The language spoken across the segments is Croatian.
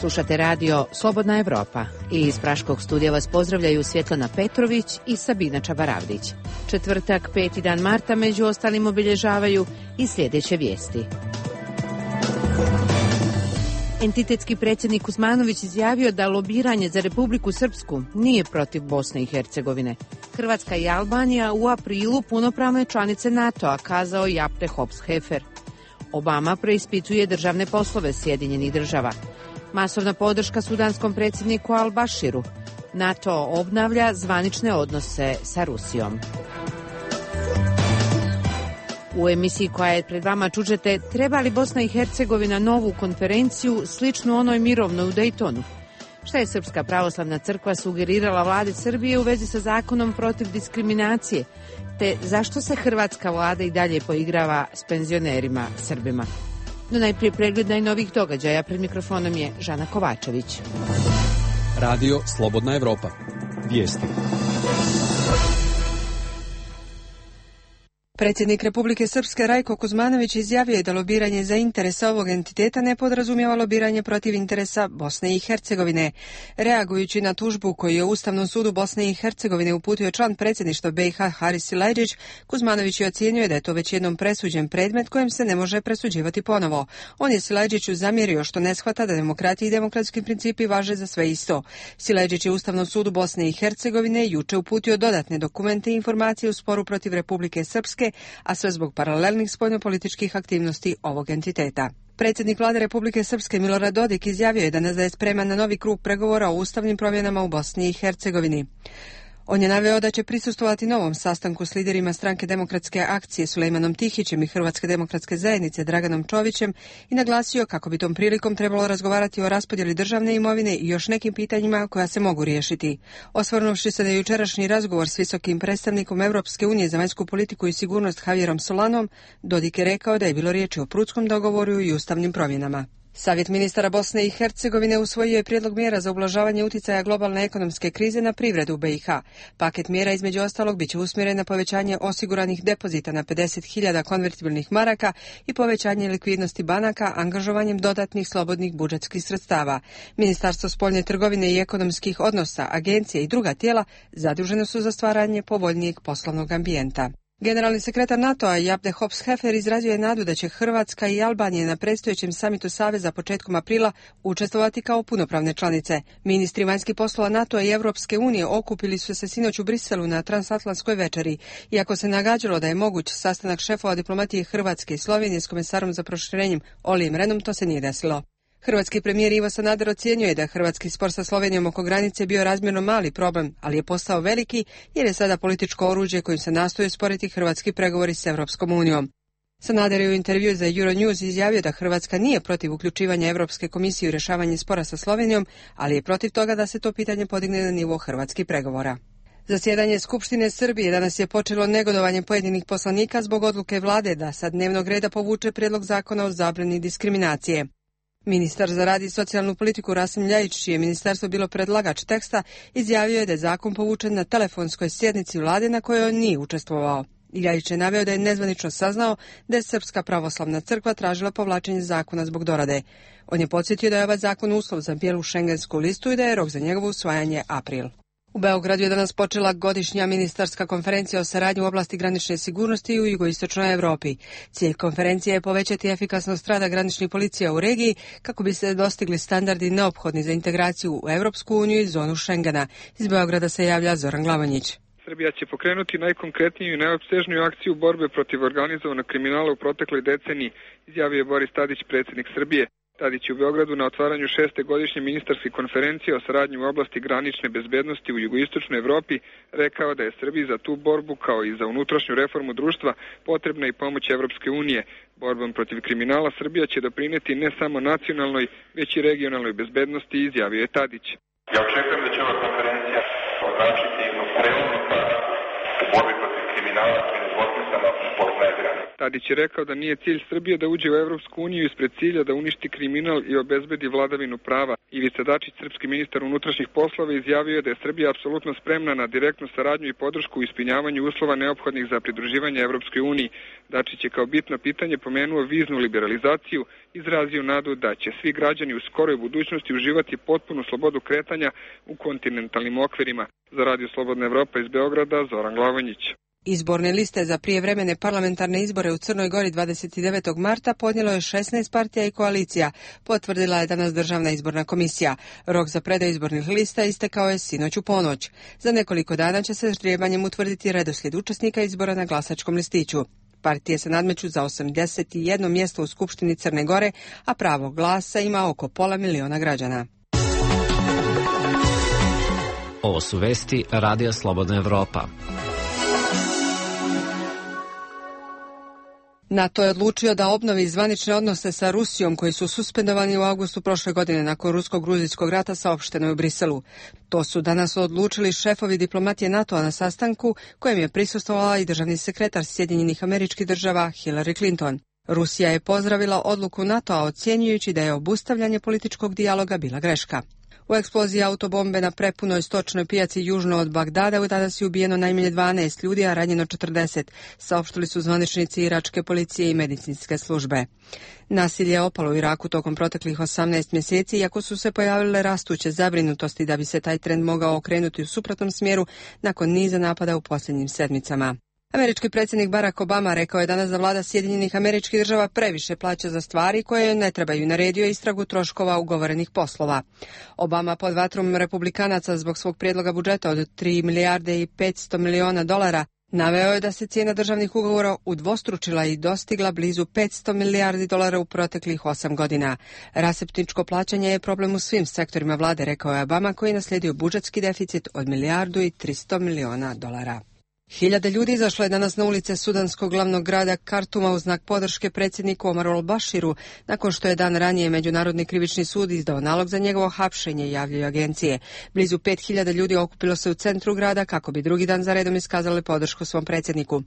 Slušate radio Slobodna Evropa i iz Praškog studija vas pozdravljaju Svjetlana Petrović i Sabina Čabaravdić. Četvrtak, 5. dan marta, među ostalim obilježavaju i sljedeće vijesti. Entitetski predsjednik Kuzmanović izjavio da lobiranje za Republiku Srpsku nije protiv Bosne i Hercegovine. Hrvatska i Albanija u aprilu punopravne članice NATO-a, kazao Japte Hops-Hefer. Obama preispituje državne poslove Sjedinjenih država. Masovna podrška sudanskom predsjedniku Al-Bashiru. NATO obnavlja zvanične odnose sa Rusijom. U emisiji koja je pred vama čućete treba li Bosna i Hercegovina novu konferenciju sličnu onoj mirovnoj u Dejtonu? Šta je Srpska pravoslavna crkva sugerirala vladi Srbije u vezi sa zakonom protiv diskriminacije? Te zašto se hrvatska vlada i dalje poigrava s penzionerima Srbima? No najprije pregled najnovijih događaja. Pred mikrofonom je Žana Kovačević. Radio Slobodna Evropa. Vijesti. Predsjednik Republike Srpske Rajko Kuzmanović izjavio je da lobiranje za interese ovog entiteta ne podrazumijeva lobiranje protiv interesa Bosne i Hercegovine. Reagujući na tužbu koju je Ustavnom sudu Bosne i Hercegovine uputio član predsjedništva BiH Haris Silajdžić, Kuzmanović je ocijenio da je to već jednom presuđen predmet kojem se ne može presuđivati ponovo. On je Silajdžiću zamjerio što ne shvata da demokratija i demokratski principi važe za sve isto. Silajdžić je Ustavnom sudu Bosne i Hercegovine juče uputio dodatne dokumente i informacije u sporu protiv Republike Srpske, a sve zbog paralelnih spoljnopolitičkih aktivnosti ovog entiteta. Predsjednik vlade Republike Srpske Milorad Dodik izjavio je danas da je spreman na novi krug pregovora o ustavnim promjenama u Bosni i Hercegovini. On je naveo da će prisustvovati novom sastanku s liderima Stranke demokratske akcije Sulejmanom Tihićem i Hrvatske demokratske zajednice Draganom Čovićem i naglasio kako bi tom prilikom trebalo razgovarati o raspodjeli državne imovine i još nekim pitanjima koja se mogu riješiti. Osvrnuvši se na jučerašnji razgovor s visokim predstavnikom Europske unije za vanjsku politiku i sigurnost Javierom Solanom, Dodik je rekao da je bilo riječi o prutskom dogovoru i ustavnim promjenama. Savjet ministara Bosne i Hercegovine usvojio je prijedlog mjera za ublažavanje utjecaja globalne ekonomske krize na privredu BiH. Paket mjera između ostalog biće usmjeren na povećanje osiguranih depozita na 50.000 konvertibilnih maraka i povećanje likvidnosti banaka angažovanjem dodatnih slobodnih budžetskih sredstava. Ministarstvo spoljne trgovine i ekonomskih odnosa, agencije i druga tijela zadužene su za stvaranje povoljnijeg poslovnog ambijenta. Generalni sekretar NATO-a Japte Hops-Hefer izrazio je nadu da će Hrvatska i Albanija na predstojećem samitu Saveza početkom aprila učestvovati kao punopravne članice. Ministri vanjskih poslova NATO-a i Europske unije okupili su se sinoć u Briselu na transatlantskoj večeri. Iako se nagađalo da je moguć sastanak šefova diplomatije Hrvatske i Slovenije s komesarom za proširenjem Olijem Renom, to se nije desilo. Hrvatski premijer Ivo Sanader ocjenjuje je da hrvatski spor sa Slovenijom oko granice bio razmjerno mali problem, ali je postao veliki jer je sada političko oruđe kojim se nastoje sporiti hrvatski pregovori s Europskom unijom. Sanader je u intervju za Euronews izjavio da Hrvatska nije protiv uključivanja Europske komisije u rješavanje spora sa Slovenijom, ali je protiv toga da se to pitanje podigne na nivo hrvatskih pregovora. Zasjedanje Skupštine Srbije danas je počelo negodovanjem pojedinih poslanika zbog odluke vlade da sa dnevnog reda povuče prijedlog zakona o zabrani diskriminacije. Ministar za rad i socijalnu politiku Rasim Ljajić, čije ministarstvo bilo predlagač teksta, izjavio je da je zakon povučen na telefonskoj sjednici vlade na kojoj on nije učestvovao. Ljajić je naveo da je nezvanično saznao da je Srpska pravoslavna crkva tražila povlačenje zakona zbog dorade. On je podsjetio da je ovaj zakon uslov za bijelu šengensku listu i da je rok za njegovo usvajanje april. U Beogradu je danas počela godišnja ministarska konferencija o saradnji u oblasti granične sigurnosti u jugoistočnoj Europi. Cilj konferencije je povećati efikasnost rada graničnih policija u regiji kako bi se dostigli standardi neophodni za integraciju u Europsku uniju i zonu Schengena. Iz Beograda se javlja Zoran Glavonjić. Srbija će pokrenuti najkonkretniju i najopsežniju akciju borbe protiv organizovanog kriminala u protekloj deceniji, izjavio je Boris Tadić, predsjednik Srbije. Tadić u Beogradu na otvaranju 6. godišnje ministarske konferencije o saradnji u oblasti granične bezbednosti u jugoistočnoj Evropi rekao da je Srbiji za tu borbu, kao i za unutrašnju reformu društva, potrebna i pomoć Evropske unije. Borbom protiv kriminala Srbija će doprineti ne samo nacionalnoj, već i regionalnoj bezbednosti, izjavio je Tadić. Ja očekujem da će ova konferencija označiti jednu prelomnu tačku u borbi protiv kriminala koji potpisano spoznaje granice. Tadić je rekao da nije cilj Srbije da uđe u Evropsku uniju ispred cilja da uništi kriminal i obezbedi vladavinu prava. Ivica Dačić, srpski ministar unutrašnjih poslova, izjavio je da je Srbija apsolutno spremna na direktnu saradnju i podršku u ispunjavanju uslova neophodnih za pridruživanje Evropskoj uniji. Dačić je kao bitno pitanje pomenuo viznu liberalizaciju, izrazio nadu da će svi građani u skoroj budućnosti uživati potpunu slobodu kretanja u kontinentalnim okvirima. Za Radio Slobodna Evropa iz Beograda, Zoran Glavonjić. Izborne liste za prijevremene parlamentarne izbore u Crnoj Gori 29. marta podnijelo je 16 partija i koalicija, potvrdila je danas Državna izborna komisija. Rok za predaju izbornih lista istekao je sinoć u ponoć. Za nekoliko dana će se ždrijebanjem utvrditi redoslijed učesnika izbora na glasačkom listiću. Partije se nadmeću za 81 mjesto u Skupštini Crne Gore, a pravo glasa ima oko 500.000 građana. Ovo su vesti Radija Slobodna Evropa. NATO je odlučio da obnovi zvanične odnose sa Rusijom koji su suspendovani u avgustu prošle godine nakon rusko-gruzijskog rata, saopšteno je u Briselu. To su danas odlučili šefovi diplomatije NATO-a na sastanku kojem je prisustvovala i državni sekretar Sjedinjenih Američkih Država Hillary Clinton. Rusija je pozdravila odluku NATO-a ocjenjujući da je obustavljanje političkog dijaloga bila greška. U eksploziji autobombe na prepunoj stočnoj pijaci južno od Bagdada danas je ubijeno najmanje 12 ljudi, a ranjeno 40, saopštili su zvaničnici iračke policije i medicinske službe. Nasilje je opalo u Iraku tokom proteklih 18 mjeseci, iako su se pojavile rastuće zabrinutosti da bi se taj trend mogao okrenuti u suprotnom smjeru nakon niza napada u posljednjim sedmicama. Američki predsjednik Barack Obama rekao je danas da vlada Sjedinjenih Američkih Država previše plaća za stvari koje ne trebaju, naredio istragu troškova ugovorenih poslova. Obama pod vatrom republikanaca zbog svog prijedloga budžeta od 3 milijarde i 500 milijuna dolara naveo je da se cijena državnih ugovora udvostručila i dostigla blizu 500 milijardi dolara u proteklih 8 godina. Rasipničko plaćanje je problem u svim sektorima vlade, rekao je Obama, koji je naslijedio budžetski deficit od 1 milijardu i 300 milijuna dolara. Hiljade ljudi izašlo je danas na ulice sudanskog glavnog grada Kartuma u znak podrške predsjedniku Omaru al-Bashiru, nakon što je dan ranije Međunarodni krivični sud izdao nalog za njegovo hapšenje, javljaju agencije. Blizu 5.000 ljudi okupilo se u centru grada kako bi drugi dan za redom iskazali podršku svom predsjedniku.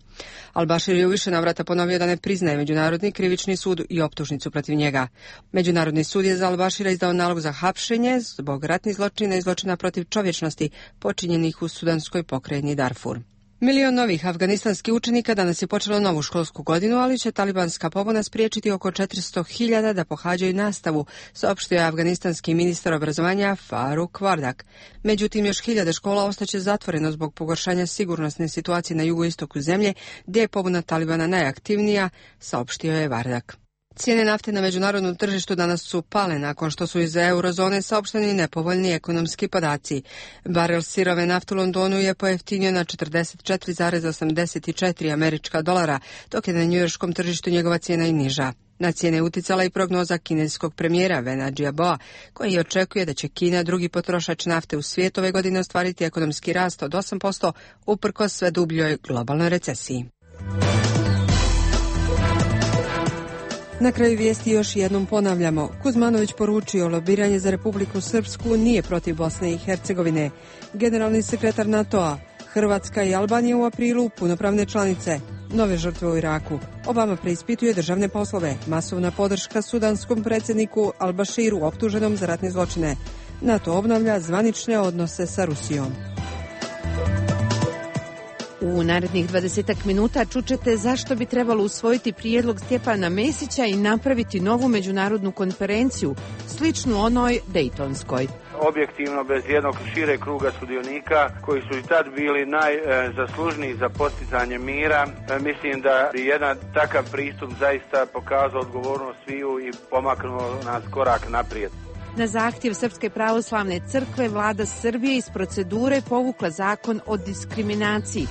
Al-Bashir je u više navrata ponovio da ne priznaje Međunarodni krivični sud i optužnicu protiv njega. Međunarodni sud je za al-Bashira izdao nalog za hapšenje zbog ratnih zločina i zločina protiv čovječnosti počinjenih u sudanskoj pokrajini Darfur. Milion novih afganistanskih učenika danas je počelo novu školsku godinu, ali će talibanska pobuna spriječiti oko 400.000 da pohađaju nastavu, saopštio je afganistanski ministar obrazovanja Faruk Vardak. Međutim, još 1000 škola ostaće zatvoreno zbog pogoršanja sigurnosne situacije na jugoistoku zemlje, gdje je pobuna Talibana najaktivnija, saopštio je Vardak. Cijene nafte na međunarodnom tržištu danas su pale nakon što su iz eurozone saopšteni nepovoljni ekonomski podaci. Barel sirove nafte u Londonu je pojeftinio na 44,84 američka dolara, dok je na njujorškom tržištu njegova cijena i niža. Na cijene je uticala i prognoza kineskog premijera Vena Jiaboa, koji očekuje da će Kina, drugi potrošač nafte u svijetu, ove godine ostvariti ekonomski rast od 8% uprkos sve dubljoj globalnoj recesiji. Na kraju vijesti još jednom ponavljamo. Kuzmanović poručio lobiranje za Republiku Srpsku nije protiv Bosne i Hercegovine. Generalni sekretar NATO-a, Hrvatska i Albanija u aprilu punopravne članice. Nove žrtve u Iraku. Obama preispituje državne poslove. Masovna podrška sudanskom predsjedniku al-Bashiru optuženom za ratne zločine. NATO obnavlja zvanične odnose sa Rusijom. U narednih 20 minuta čućete zašto bi trebalo usvojiti prijedlog Stjepana Mesića i napraviti novu međunarodnu konferenciju, sličnu onoj Dejtonskoj. Objektivno, bez jednog šire kruga sudionika koji su i tad bili najzaslužniji za postizanje mira, mislim da bi jedan takav pristup zaista pokazao odgovornost sviju i pomaknuo nas korak naprijed. Na zahtjev Srpske pravoslavne crkve vlada Srbije iz procedure povukla zakon o diskriminaciji.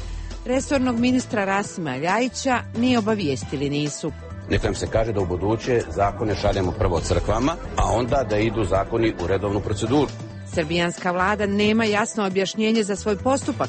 Resornog ministra Rasima Ljajića ni obavijestili nisu. Neka im se kaže da u buduće zakone šaljemo prvo crkvama, a onda da idu zakoni u redovnu proceduru. Srbijanska vlada nema jasno objašnjenje za svoj postupak,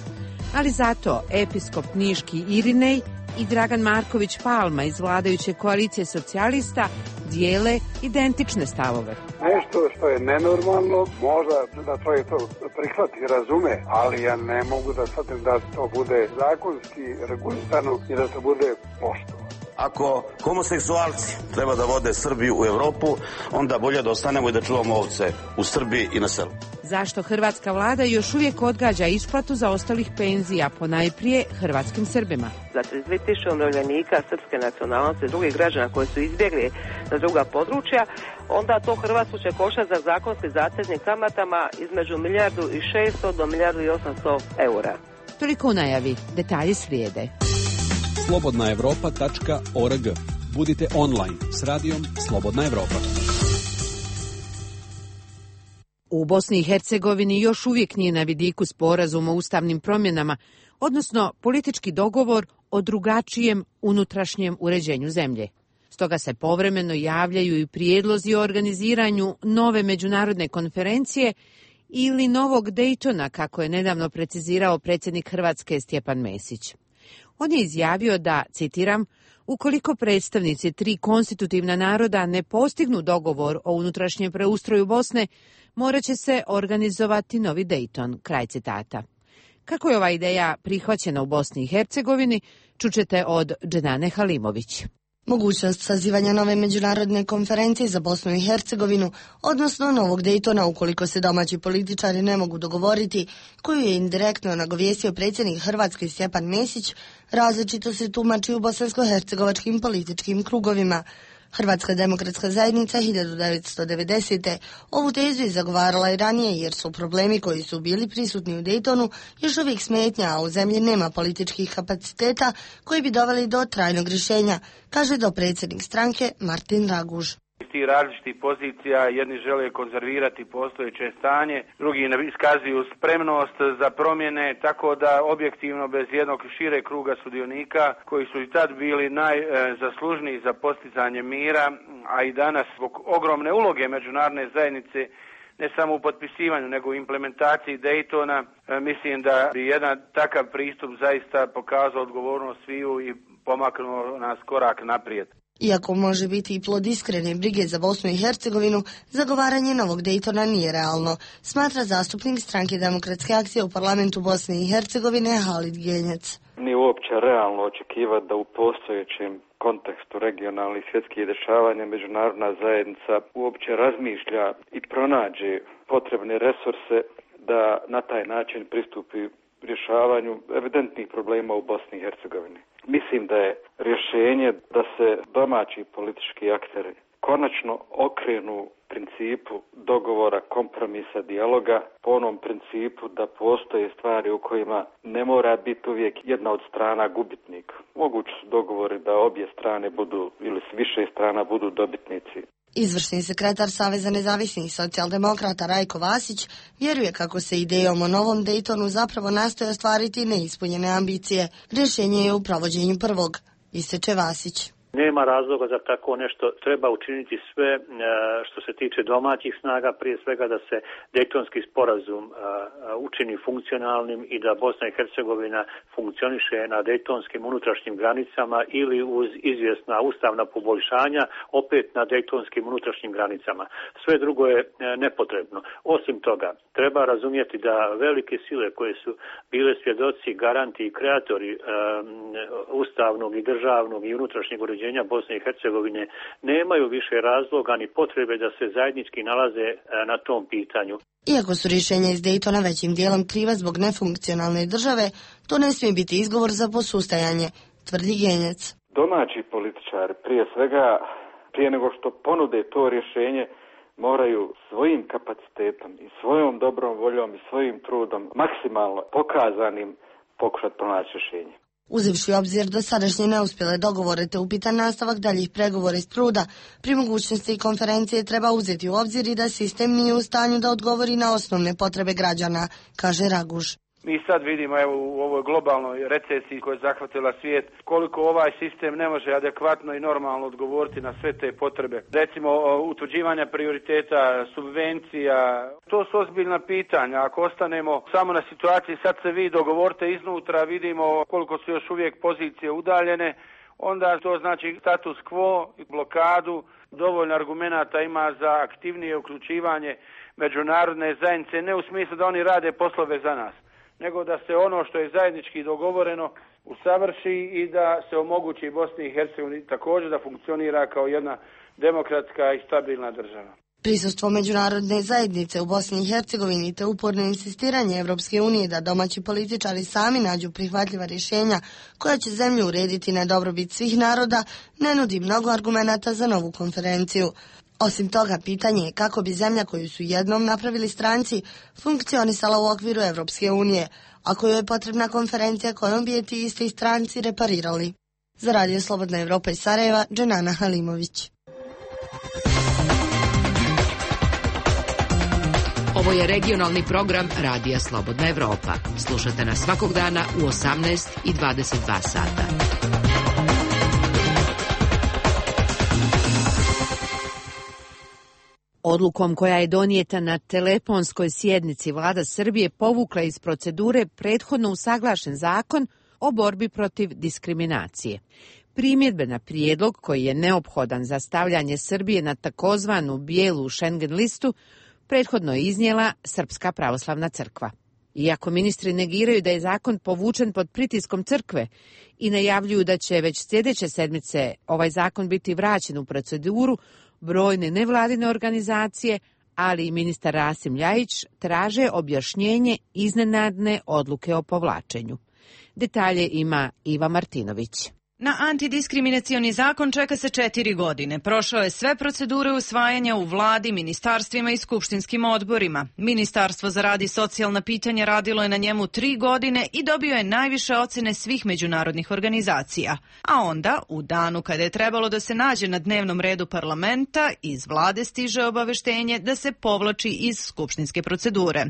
ali zato episkop niški Irinej i Dragan Marković Palma iz vladajuće koalicije socijalista dijele identične stavove. Ne nešto što je nenormalno, možda da čovjek to prihvati i razume, ali ja ne mogu da shvatim da to bude zakonski regulisano i da to bude poštovano. Ako homoseksualci treba da vode Srbiju u Evropu, onda bolje da ostanemo i da čuvamo ovce u Srbiji i na selu. Zašto hrvatska vlada još uvijek odgađa isplatu zaostalih penzija, ponajprije hrvatskim Srbima? Za 32.000 umirovljenika srpske nacionalnosti i drugih građana koji su izbjegli na druga područja, onda to Hrvatsku će koštati za zakonski zateznim kamatama između 1.600 do 1.800.000 eura. Toliko u najavi, detalji slijede. slobodnaevropa.org. Budite online s radijom Slobodna Evropa. U Bosni i Hercegovini još uvijek nije na vidiku sporazum o ustavnim promjenama, odnosno politički dogovor o drugačijem unutrašnjem uređenju zemlje. Stoga se povremeno javljaju i prijedlozi o organiziranju nove međunarodne konferencije ili novog Dejtona, kako je nedavno precizirao predsjednik Hrvatske Stjepan Mesić. On je izjavio da, citiram, ukoliko predstavnici 3 konstitutivna naroda ne postignu dogovor o unutrašnjem preustroju Bosne, morat će se organizovati novi Dejton, kraj citata. Kako je ova ideja prihvaćena u Bosni i Hercegovini, čućete od Dženane Halimović. Mogućnost sazivanja nove međunarodne konferencije za Bosnu i Hercegovinu, odnosno novog Dejtona ukoliko se domaći političari ne mogu dogovoriti, koju je indirektno nagovijestio predsjednik Hrvatske Stjepan Mesić, različito se tumači u bosansko-hercegovačkim političkim krugovima. Hrvatska demokratska zajednica 1990. ovu tezu je zagovarala i ranije jer su problemi koji su bili prisutni u Dejtonu još uvijek smetnja, a u zemlji nema političkih kapaciteta koji bi doveli do trajnog rješenja, kaže dopredsjednik stranke Martin Raguž. Ti različitih pozicija, jedni žele konzervirati postojeće stanje, drugi iskazuju spremnost za promjene, tako da objektivno bez jednog šire kruga sudionika koji su i tad bili najzaslužniji za postizanje mira, a i danas zbog ogromne uloge međunarodne zajednice ne samo u potpisivanju nego u implementaciji Dejtona, mislim da bi jedan takav pristup zaista pokazao odgovornost sviju i pomaknuo nas korak naprijed. Iako može biti i plod iskrene brige za Bosnu i Hercegovinu, zagovaranje novog Dejtona nije realno, smatra zastupnik stranke Demokratske akcije u parlamentu Bosne i Hercegovine Halid Genjac. Nije uopće realno očekivati da u postojećem kontekstu regionalnih svjetskih dešavanja međunarodna zajednica uopće razmišlja i pronađe potrebne resurse da na taj način pristupi rješavanju evidentnih problema u Bosni i Hercegovini. Mislim da je rješenje da se domaći politički akteri konačno okrenu principu dogovora, kompromisa, dijaloga, po onom principu da postoje stvari u kojima ne mora biti uvijek jedna od strana gubitnik. Mogući su dogovori da obje strane budu ili s više strana budu dobitnici. Izvršni sekretar Saveza nezavisnih socijaldemokrata Rajko Vasić vjeruje kako se idejom o novom Dejtonu zapravo nastoje ostvariti neispunjene ambicije. Rješenje je u provođenju prvog, ističe Vasić. Nema razloga za tako nešto, treba učiniti sve što se tiče domaćih snaga, prije svega da se Dejtonski sporazum učini funkcionalnim i da Bosna i Hercegovina funkcioniše na dejtonskim unutrašnjim granicama ili uz izvjesna ustavna poboljšanja opet na dejtonskim unutrašnjim granicama. Sve drugo je nepotrebno. Osim toga, treba razumjeti da velike sile koje su bile svjedoci, garanti i kreatori ustavnog i državnog i unutrašnjeg uređenja Bosne i Hercegovine nemaju više razloga ni potrebe da se zajednički nalaze na tom pitanju. Iako su rješenja iz Dejtona većim dijelom kriva zbog nefunkcionalne države, to ne smije biti izgovor za posustajanje, tvrdi Genjac. Domaći političari prije svega, prije nego što ponude to rješenje, moraju svojim kapacitetom i svojom dobrom voljom i svojim trudom maksimalno pokazanim pokušati pronaći rješenje. Uzevši u obzir dosadašnje neuspjele dogovore te upitan nastavak daljih pregovora iz truda, pri mogućnosti konferencije treba uzeti u obzir i da sistem nije u stanju da odgovori na osnovne potrebe građana, kaže Raguž. Mi sad vidimo u ovoj globalnoj recesiji koja je zahvatila svijet koliko ovaj sistem ne može adekvatno i normalno odgovoriti na sve te potrebe. Recimo utvrđivanja prioriteta, subvencija, to su ozbiljna pitanja. Ako ostanemo samo na situaciji sad se vi dogovorite iznutra, vidimo koliko su još uvijek pozicije udaljene, onda to znači status quo, blokadu. dovoljno argumenata ima za aktivnije uključivanje međunarodne zajednice, ne u smislu da oni rade poslove za nas, nego da se ono što je zajednički dogovoreno usavrši i da se omogući Bosni i Hercegovini također da funkcionira kao jedna demokratska i stabilna država. Prisustvo međunarodne zajednice u Bosni i Hercegovini te uporno insistiranje Evropske unije da domaći političari sami nađu prihvatljiva rješenja koja će zemlju urediti na dobrobit svih naroda ne nudi mnogo argumenata za novu konferenciju. Osim toga, pitanje je kako bi zemlja koju su jednom napravili stranci funkcionisala u okviru Evropske unije, a kojoj je potrebna konferencija kojom bi je ti isti stranci reparirali. Za Radio Slobodna Evropa iz Sarajeva, Dženana Halimović. Ovo je regionalni program Radija Slobodna Evropa. Slušate nas svakog dana u 18 i 22 sata. Odlukom koja je donijeta na telefonskoj sjednici, Vlada Srbije povukla iz procedure prethodno usaglašen zakon o borbi protiv diskriminacije. Primjedbe na prijedlog koji je neophodan za stavljanje Srbije na takozvanu bijelu Schengen listu prethodno je iznijela Srpska pravoslavna crkva. Iako ministri negiraju da je zakon povučen pod pritiskom crkve i najavljuju da će već sljedeće sedmice ovaj zakon biti vraćen u proceduru, brojne nevladine organizacije, ali i ministar Rasim Ljajić traže objašnjenje iznenadne odluke o povlačenju. Detalje ima Iva Martinović. Na antidiskriminacioni zakon čeka se 4 godine. Prošao je sve procedure usvajanja u vladi, ministarstvima i skupštinskim odborima. Ministarstvo za rad i socijalna pitanja radilo je na njemu 3 godine i dobio je najviše ocene svih međunarodnih organizacija. A onda, u danu kada je trebalo da se nađe na dnevnom redu parlamenta, iz vlade stiže obaveštenje da se povlači iz skupštinske procedure.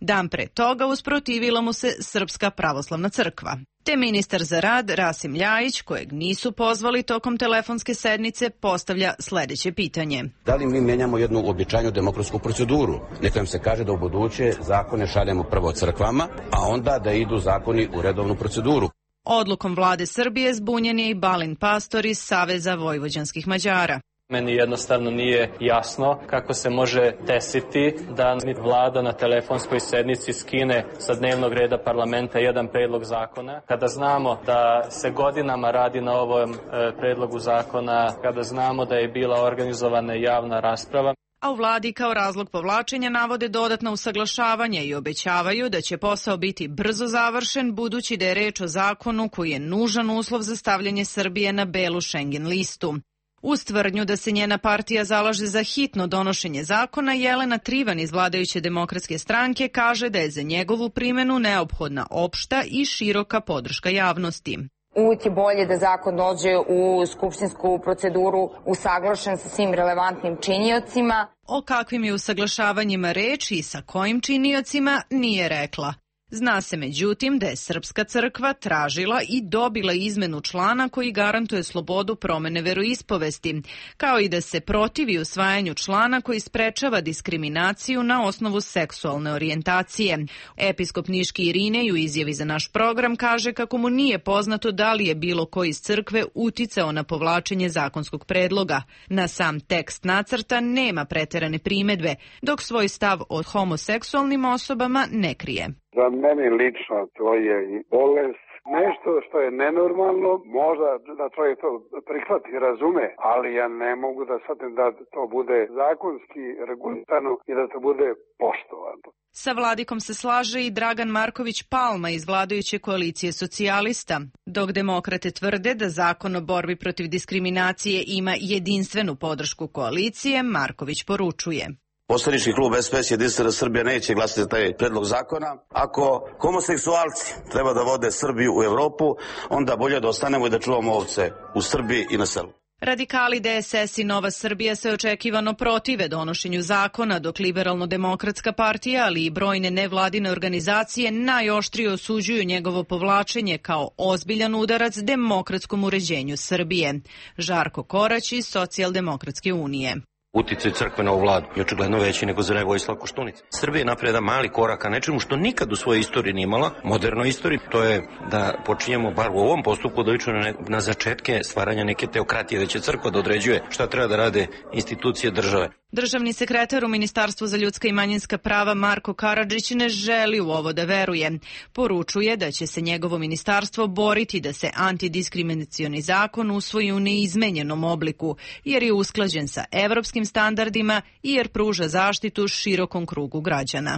Dan pre toga usprotivila mu se Srpska pravoslavna crkva. Te ministar za rad Rasim Ljajić, kojeg nisu pozvali tokom telefonske sednice, postavlja sljedeće pitanje. Da li mi menjamo jednu običajnu demokratsku proceduru? Neka nam se kaže da u buduće zakone šaljemo prvo crkvama, a onda da idu zakoni u redovnu proceduru. Odlukom vlade Srbije zbunjen je i Balint Pastor iz Saveza vojvođanskih Mađara. Meni jednostavno nije jasno kako se može desiti da vlada na telefonskoj sednici skine sa dnevnog reda parlamenta jedan predlog zakona. Kada znamo da se godinama radi na ovom predlogu zakona, kada znamo da je bila organizovana javna rasprava. A u vladi kao razlog povlačenja navode dodatno usaglašavanje i obećavaju da će posao biti brzo završen, budući da je reč o zakonu koji je nužan uslov za stavljanje Srbije na belu Schengen listu. Uz tvrdnju da se njena partija zalaže za hitno donošenje zakona, Jelena Trivan iz vladajuće demokratske stranke kaže da je za njegovu primjenu neophodna opšta i široka podrška javnosti. Uvijek je bolje da zakon dođe u skupštinsku proceduru usaglašen sa svim relevantnim činiocima. O kakvim je usaglašavanjima reč i sa kojim činiocima nije rekla. Zna se međutim da je Srpska crkva tražila i dobila izmenu člana koji garantuje slobodu promene veroispovesti, kao i da se protivi usvajanju člana koji sprečava diskriminaciju na osnovu seksualne orijentacije. Episkop Niški Irinej u izjavi za naš program kaže kako mu nije poznato da li je bilo ko iz crkve uticao na povlačenje zakonskog predloga. Na sam tekst nacrta nema preterane primedbe, dok svoj stav o homoseksualnim osobama ne krije. Za mene lično to je i bolest, nešto što je nenormalno, možda da čovjek to prihvati i razume, ali ja ne mogu da shvatim da to bude zakonski regulirano i da to bude poštovano. Sa vladikom se slaže i Dragan Marković Palma iz vladajuće koalicije socijalista. Dok demokrate tvrde da zakon o borbi protiv diskriminacije ima jedinstvenu podršku koalicije, Marković poručuje. Poslanički klub SPS Jedinstvena Srbija neće glasati za taj predlog zakona. Ako homoseksualci treba da vode Srbiju u Evropu, onda bolje da ostanemo i da čuvamo ovce u Srbiji i na selu. Radikali, DSS i Nova Srbija se očekivano protive donošenju zakona, dok Liberalno-demokratska partija, ali i brojne nevladine organizacije najoštrije osuđuju njegovo povlačenje kao ozbiljan udarac demokratskom uređenju Srbije. Žarko Korać iz Socijaldemokratske unije. Uticaj crkve na ovu vladu je očigledno veći nego za Vojislav Koštunica. Srbija je napravila jedan mali korak ka nečemu što nikad u svojoj istoriji nije imala, modernoj istoriji, to je da počinjemo bar u ovom postupku da ličimo na začetke stvaranja neke teokratije, da će crkva da određuje šta treba da rade institucije države. Državni sekretar u Ministarstvu za ljudska i manjinska prava Marko Karadžić ne želi u ovo da veruje. Poručuje da će se njegovo ministarstvo boriti da se antidiskriminacioni zakon usvoji u neizmenjenom obliku, jer je usklađen sa evropskim standardima i jer pruža zaštitu širokom krugu građana.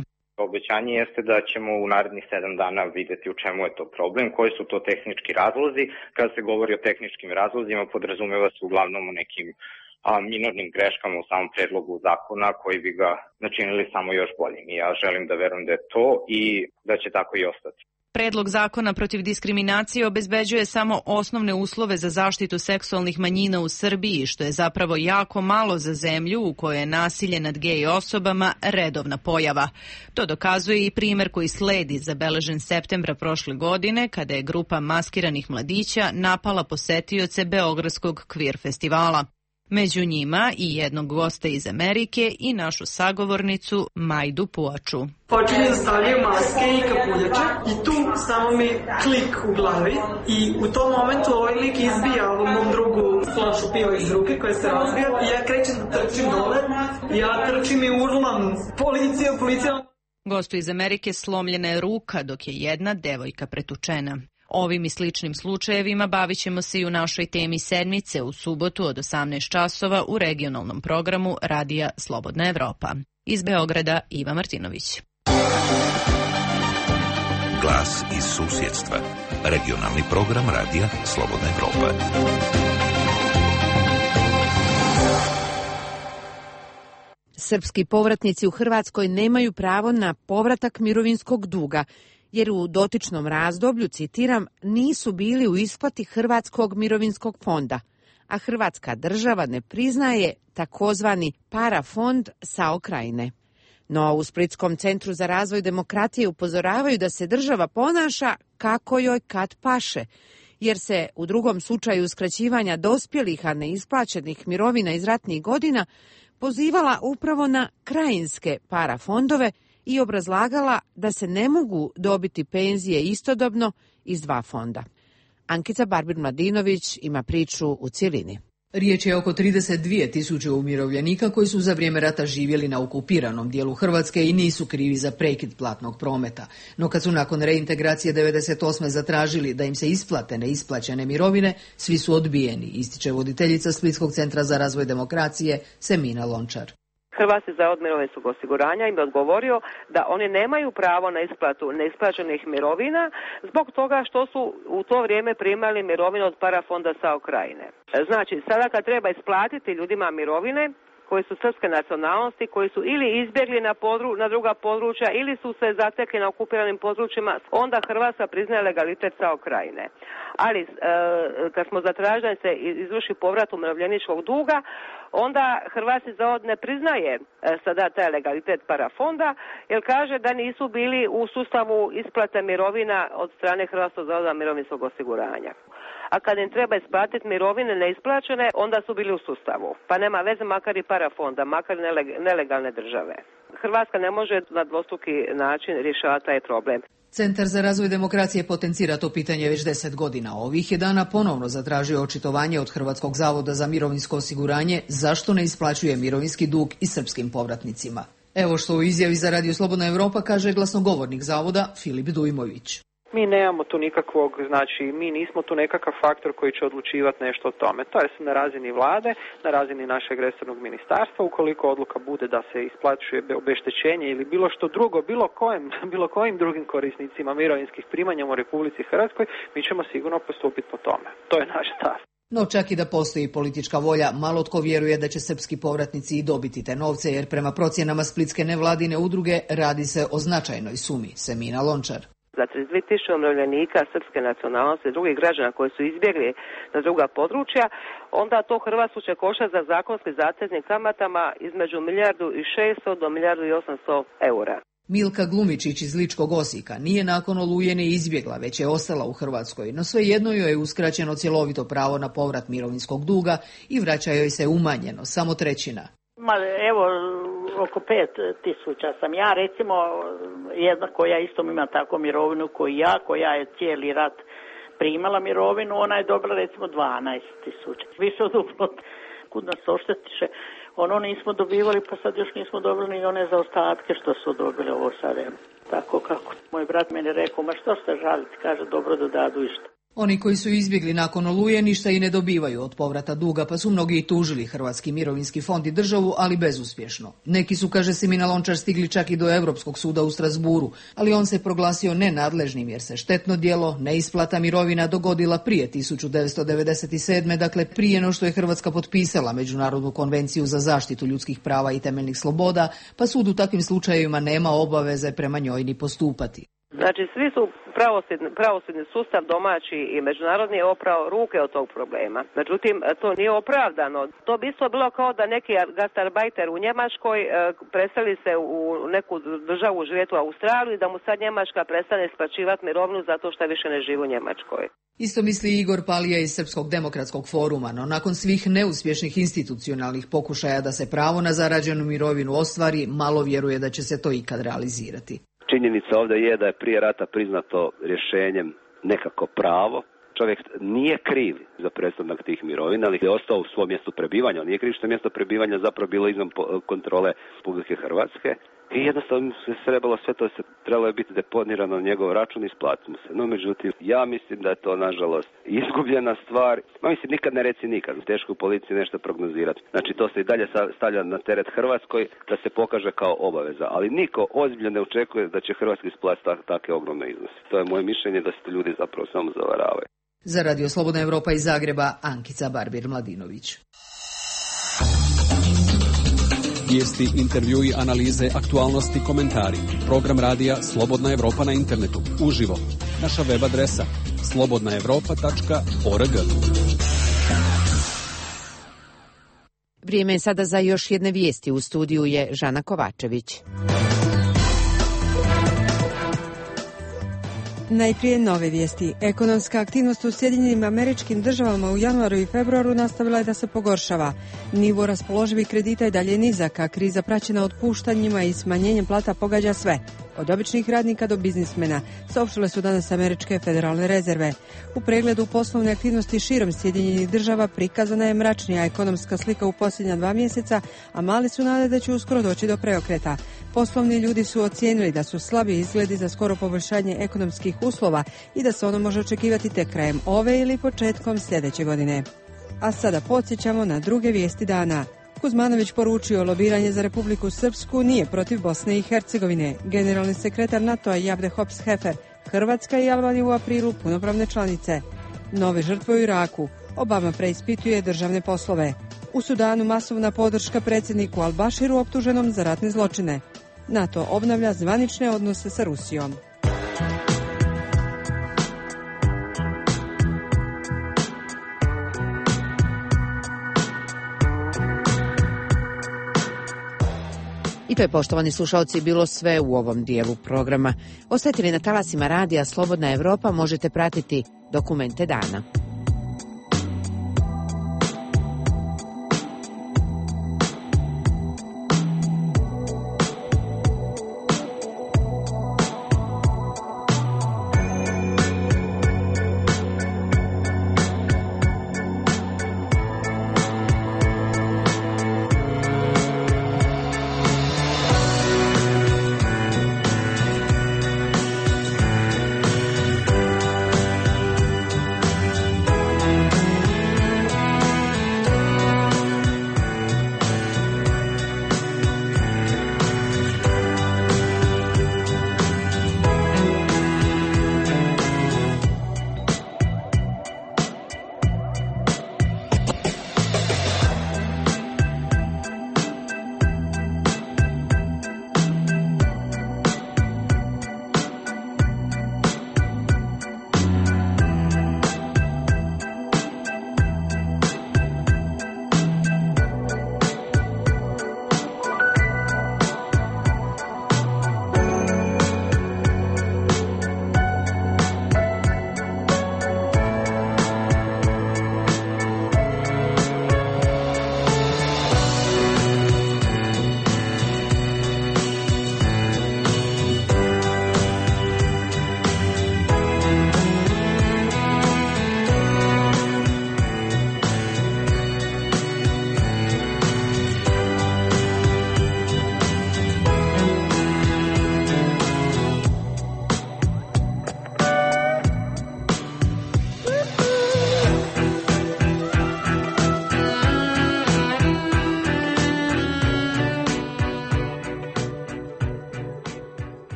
Obećanje jeste da ćemo u narednih 7 dana vidjeti u čemu je to problem, koji su to tehnički razlozi. Kada se govori o tehničkim razlozima, podrazumeva se uglavnom o nekim minornim greškama u samom predlogu zakona koji bi ga načinili samo još boljim. I ja želim da verujem da je to i da će tako i ostati. Predlog zakona protiv diskriminacije obezbeđuje samo osnovne uslove za zaštitu seksualnih manjina u Srbiji, što je zapravo jako malo za zemlju u kojoj je nasilje nad gej osobama redovna pojava. To dokazuje i primer koji sledi, zabeležen septembra prošle godine, kada je grupa maskiranih mladića napala posetioce Beogradskog kvir festivala. Među njima i jednog gosta iz Amerike i našu sagovornicu Majdu Puaču. Počinje da stavljaju maske i kapuljače i tu samo mi klik u glavi i u tom momentu ovaj lik izbija ovom mom drugu flašu piva iz ruke koja se razbija i ja krećem da trčim dole, ja trčim i urlam policija. Gostu iz Amerike slomljena je ruka dok je jedna devojka pretučena. Ovim i sličnim slučajevima bavit ćemo se i u našoj temi sedmice u subotu od 18 časova u regionalnom programu Radija Slobodna Evropa. Iz Beograda Iva Martinović. Glas iz susjedstva. Regionalni program Radija Slobodna Evropa. Srpski povratnici u Hrvatskoj nemaju pravo na povratak mirovinskog duga, jer u dotičnom razdoblju, citiram, nisu bili u isplati Hrvatskog mirovinskog fonda, a Hrvatska država ne priznaje takozvani parafond SAO Krajine. No u Splitskom centru za razvoj demokratije upozoravaju da se država ponaša kako joj kad paše, jer se u drugom slučaju uskraćivanja dospjelih, a neisplaćenih mirovina iz ratnih godina pozivala upravo na krajinske parafondove i obrazlagala da se ne mogu dobiti penzije istodobno iz dva fonda. Ankica Barbir-Mladinović ima priču u cjelini. Riječ je oko 32.000 umirovljenika koji su za vrijeme rata živjeli na okupiranom dijelu Hrvatske i nisu krivi za prekid platnog prometa. No kad su nakon reintegracije 98. zatražili da im se isplate neisplaćene mirovine, svi su odbijeni, ističe voditeljica Splitskog centra za razvoj demokracije Semina Lončar. Hrvatski zavod mirovinskog osiguranja im je odgovorio da oni nemaju pravo na isplatu neisplaćenih mirovina zbog toga što su u to vrijeme primali mirovinu od parafonda SAO Krajine. Znači, sada kad treba isplatiti ljudima mirovine koji su srpske nacionalnosti, koji su ili izbjegli na druga područja ili su se zatekli na okupiranim područjima, onda Hrvatska priznaje legalitet SAO Krajine. Ali kad smo zatražili da se izvrši povrat umirovljeničkog duga, onda Hrvatski zavod ne priznaje sada taj legalitet parafonda, jer kaže da nisu bili u sustavu isplate mirovina od strane Hrvatskog zavoda mirovinskog osiguranja. A kad im treba isplatiti mirovine neisplaćene, onda su bili u sustavu. Pa nema veze makar i parafonda, makar nelegalne države. Hrvatska ne može na dvostruki način rješavati taj problem. Centar za razvoj demokracije potencira to pitanje već 10 godina. Ovih je dana ponovno zatražio očitovanje od Hrvatskog zavoda za mirovinsko osiguranje zašto ne isplaćuje mirovinski dug i srpskim povratnicima. Evo što u izjavi za Radio Slobodna Evropa kaže glasnogovornik zavoda Filip Dujmović. Mi nemamo tu nikakvog, znači mi nismo tu nekakav faktor koji će odlučivati nešto o tome. To je na razini vlade, na razini našeg resornog ministarstva. Ukoliko odluka bude da se isplaćuje obeštećenje ili bilo što drugo, bilo kojim drugim korisnicima mirovinskih primanja u Republici Hrvatskoj, mi ćemo sigurno postupiti po tome. To je naš stav. No čak i da postoji politička volja, malo tko vjeruje da će srpski povratnici i dobiti te novce, jer prema procjenama splitske nevladine udruge radi se o značajnoj sumi. Semina Lončar. Za 32.000 umirovljenika srpske nacionalnosti i drugih građana koji su izbjegli na druga područja, onda to Hrvatsku će koštati za zakonski zateznim kamatama između 1.600.000 do 1.800.000 eura. Milka Glumičić iz Ličkog Osijeka nije nakon Oluje ni izbjegla, već je ostala u Hrvatskoj, no svejedno joj je uskraćeno cjelovito pravo na povrat mirovinskog duga i vraća joj se umanjeno, samo trećina. Ma evo, oko 5.000 sam ja, recimo jedna koja isto ima tako mirovinu koji ja, koja je cijeli rat primala mirovinu, ona je dobila recimo 12.000. Više od uplot, kud nas oštetiše, ono nismo dobivali, pa sad još nismo dobili ni one zaostatke što su dobili ovo sad. Tako kako moj brat meni rekao, ma što ste žaliti, kaže dobro da dadu išta. Oni koji su izbjegli nakon Oluje ništa i ne dobivaju od povrata duga, pa su mnogi i tužili Hrvatski mirovinski fond i državu, ali bezuspješno. Neki su, kaže Simina Lončar, stigli čak i do Europskog suda u Strasburu, ali on se proglasio nenadležnim jer se štetno djelo, neisplata mirovina dogodila prije 1997. Dakle prije no što je Hrvatska potpisala Međunarodnu konvenciju za zaštitu ljudskih prava i temeljnih sloboda, pa sud u takvim slučajevima nema obaveze prema njoj ni postupati. Znači, svi su pravosudni sustav domaći i međunarodni je oprao ruke od tog problema. Međutim, to nije opravdano. To bi isto bilo kao da neki gastarbajter u Njemačkoj preseli se u neku državu živjeti u Australiji, da mu sad Njemačka prestane isplaćivati mirovinu zato što više ne živi u Njemačkoj. Isto misli Igor Palija iz Srpskog demokratskog foruma, no nakon svih neuspješnih institucionalnih pokušaja da se pravo na zarađenu mirovinu ostvari, malo vjeruje da će se to ikad realizirati. Činjenica ovdje je da je prije rata priznato rješenjem nekako pravo. Čovjek nije kriv za prestanak tih mirovina, ali je ostao u svom mjestu prebivanja. On nije kriv što je mjesto prebivanja zapravo bilo izvan kontrole Republike Hrvatske. I jednostavno se trebalo sve to trebalo je biti deponirano na njegov račun i isplatimo se. No međutim, ja mislim da je to nažalost izgubljena stvar. Ma mislim, nikad ne reci nikad. Teško u policiji nešto prognozirati. Znači to se i dalje stavlja na teret Hrvatskoj da se pokaže kao obaveza. Ali niko ozbiljno ne očekuje da će Hrvatski isplatiti takve ogromne iznose. To je moje mišljenje da se to ljudi zapravo samo zavaravaju. Za Radio Slobodna Evropa iz Zagreba, Ankica Barbir-Mladinović. Vijesti, intervjui, analize, aktualnosti, komentari. Program radija Slobodna Evropa na internetu. Uživo. Naša web adresa slobodnaevropa.org. Vrijeme je sada za još jedne vijesti. U studiju je Žana Kovačević. Najprije nove vijesti. Ekonomska aktivnost u Sjedinjenim Američkim Državama u januaru i februaru nastavila je da se pogoršava. Nivo raspoloživih kredita je dalje nizak, a kriza praćena otpuštanjima i smanjenjem plata pogađa sve, od običnih radnika do biznismena, saopštile su danas američke federalne rezerve. U pregledu poslovne aktivnosti širom Sjedinjenih Država prikazana je mračnija ekonomska slika u posljednja 2 mjeseca, a mali su nade da će uskoro doći do preokreta. Poslovni ljudi su ocijenili da su slabi izgledi za skoro poboljšanje ekonomskih uslova i da se ono može očekivati tek krajem ove ili početkom sljedeće godine. A sada podsjećamo na druge vijesti dana. Kuzmanović poručio lobiranje za Republiku Srpsku nije protiv Bosne i Hercegovine. Generalni sekretar NATO-a Javde Hops-Hefer, Hrvatska i Albanija u aprilu punopravne članice. Nove žrtve u Iraku. Obama preispituje državne poslove. U Sudanu masovna podrška predsjedniku Al-Bashiru optuženom za ratne zločine. NATO obnavlja zvanične odnose sa Rusijom. I to je, poštovani slušalci, bilo sve u ovom dijelu programa. Ostajte li na talasima radija Slobodna Evropa, možete pratiti dokumente dana.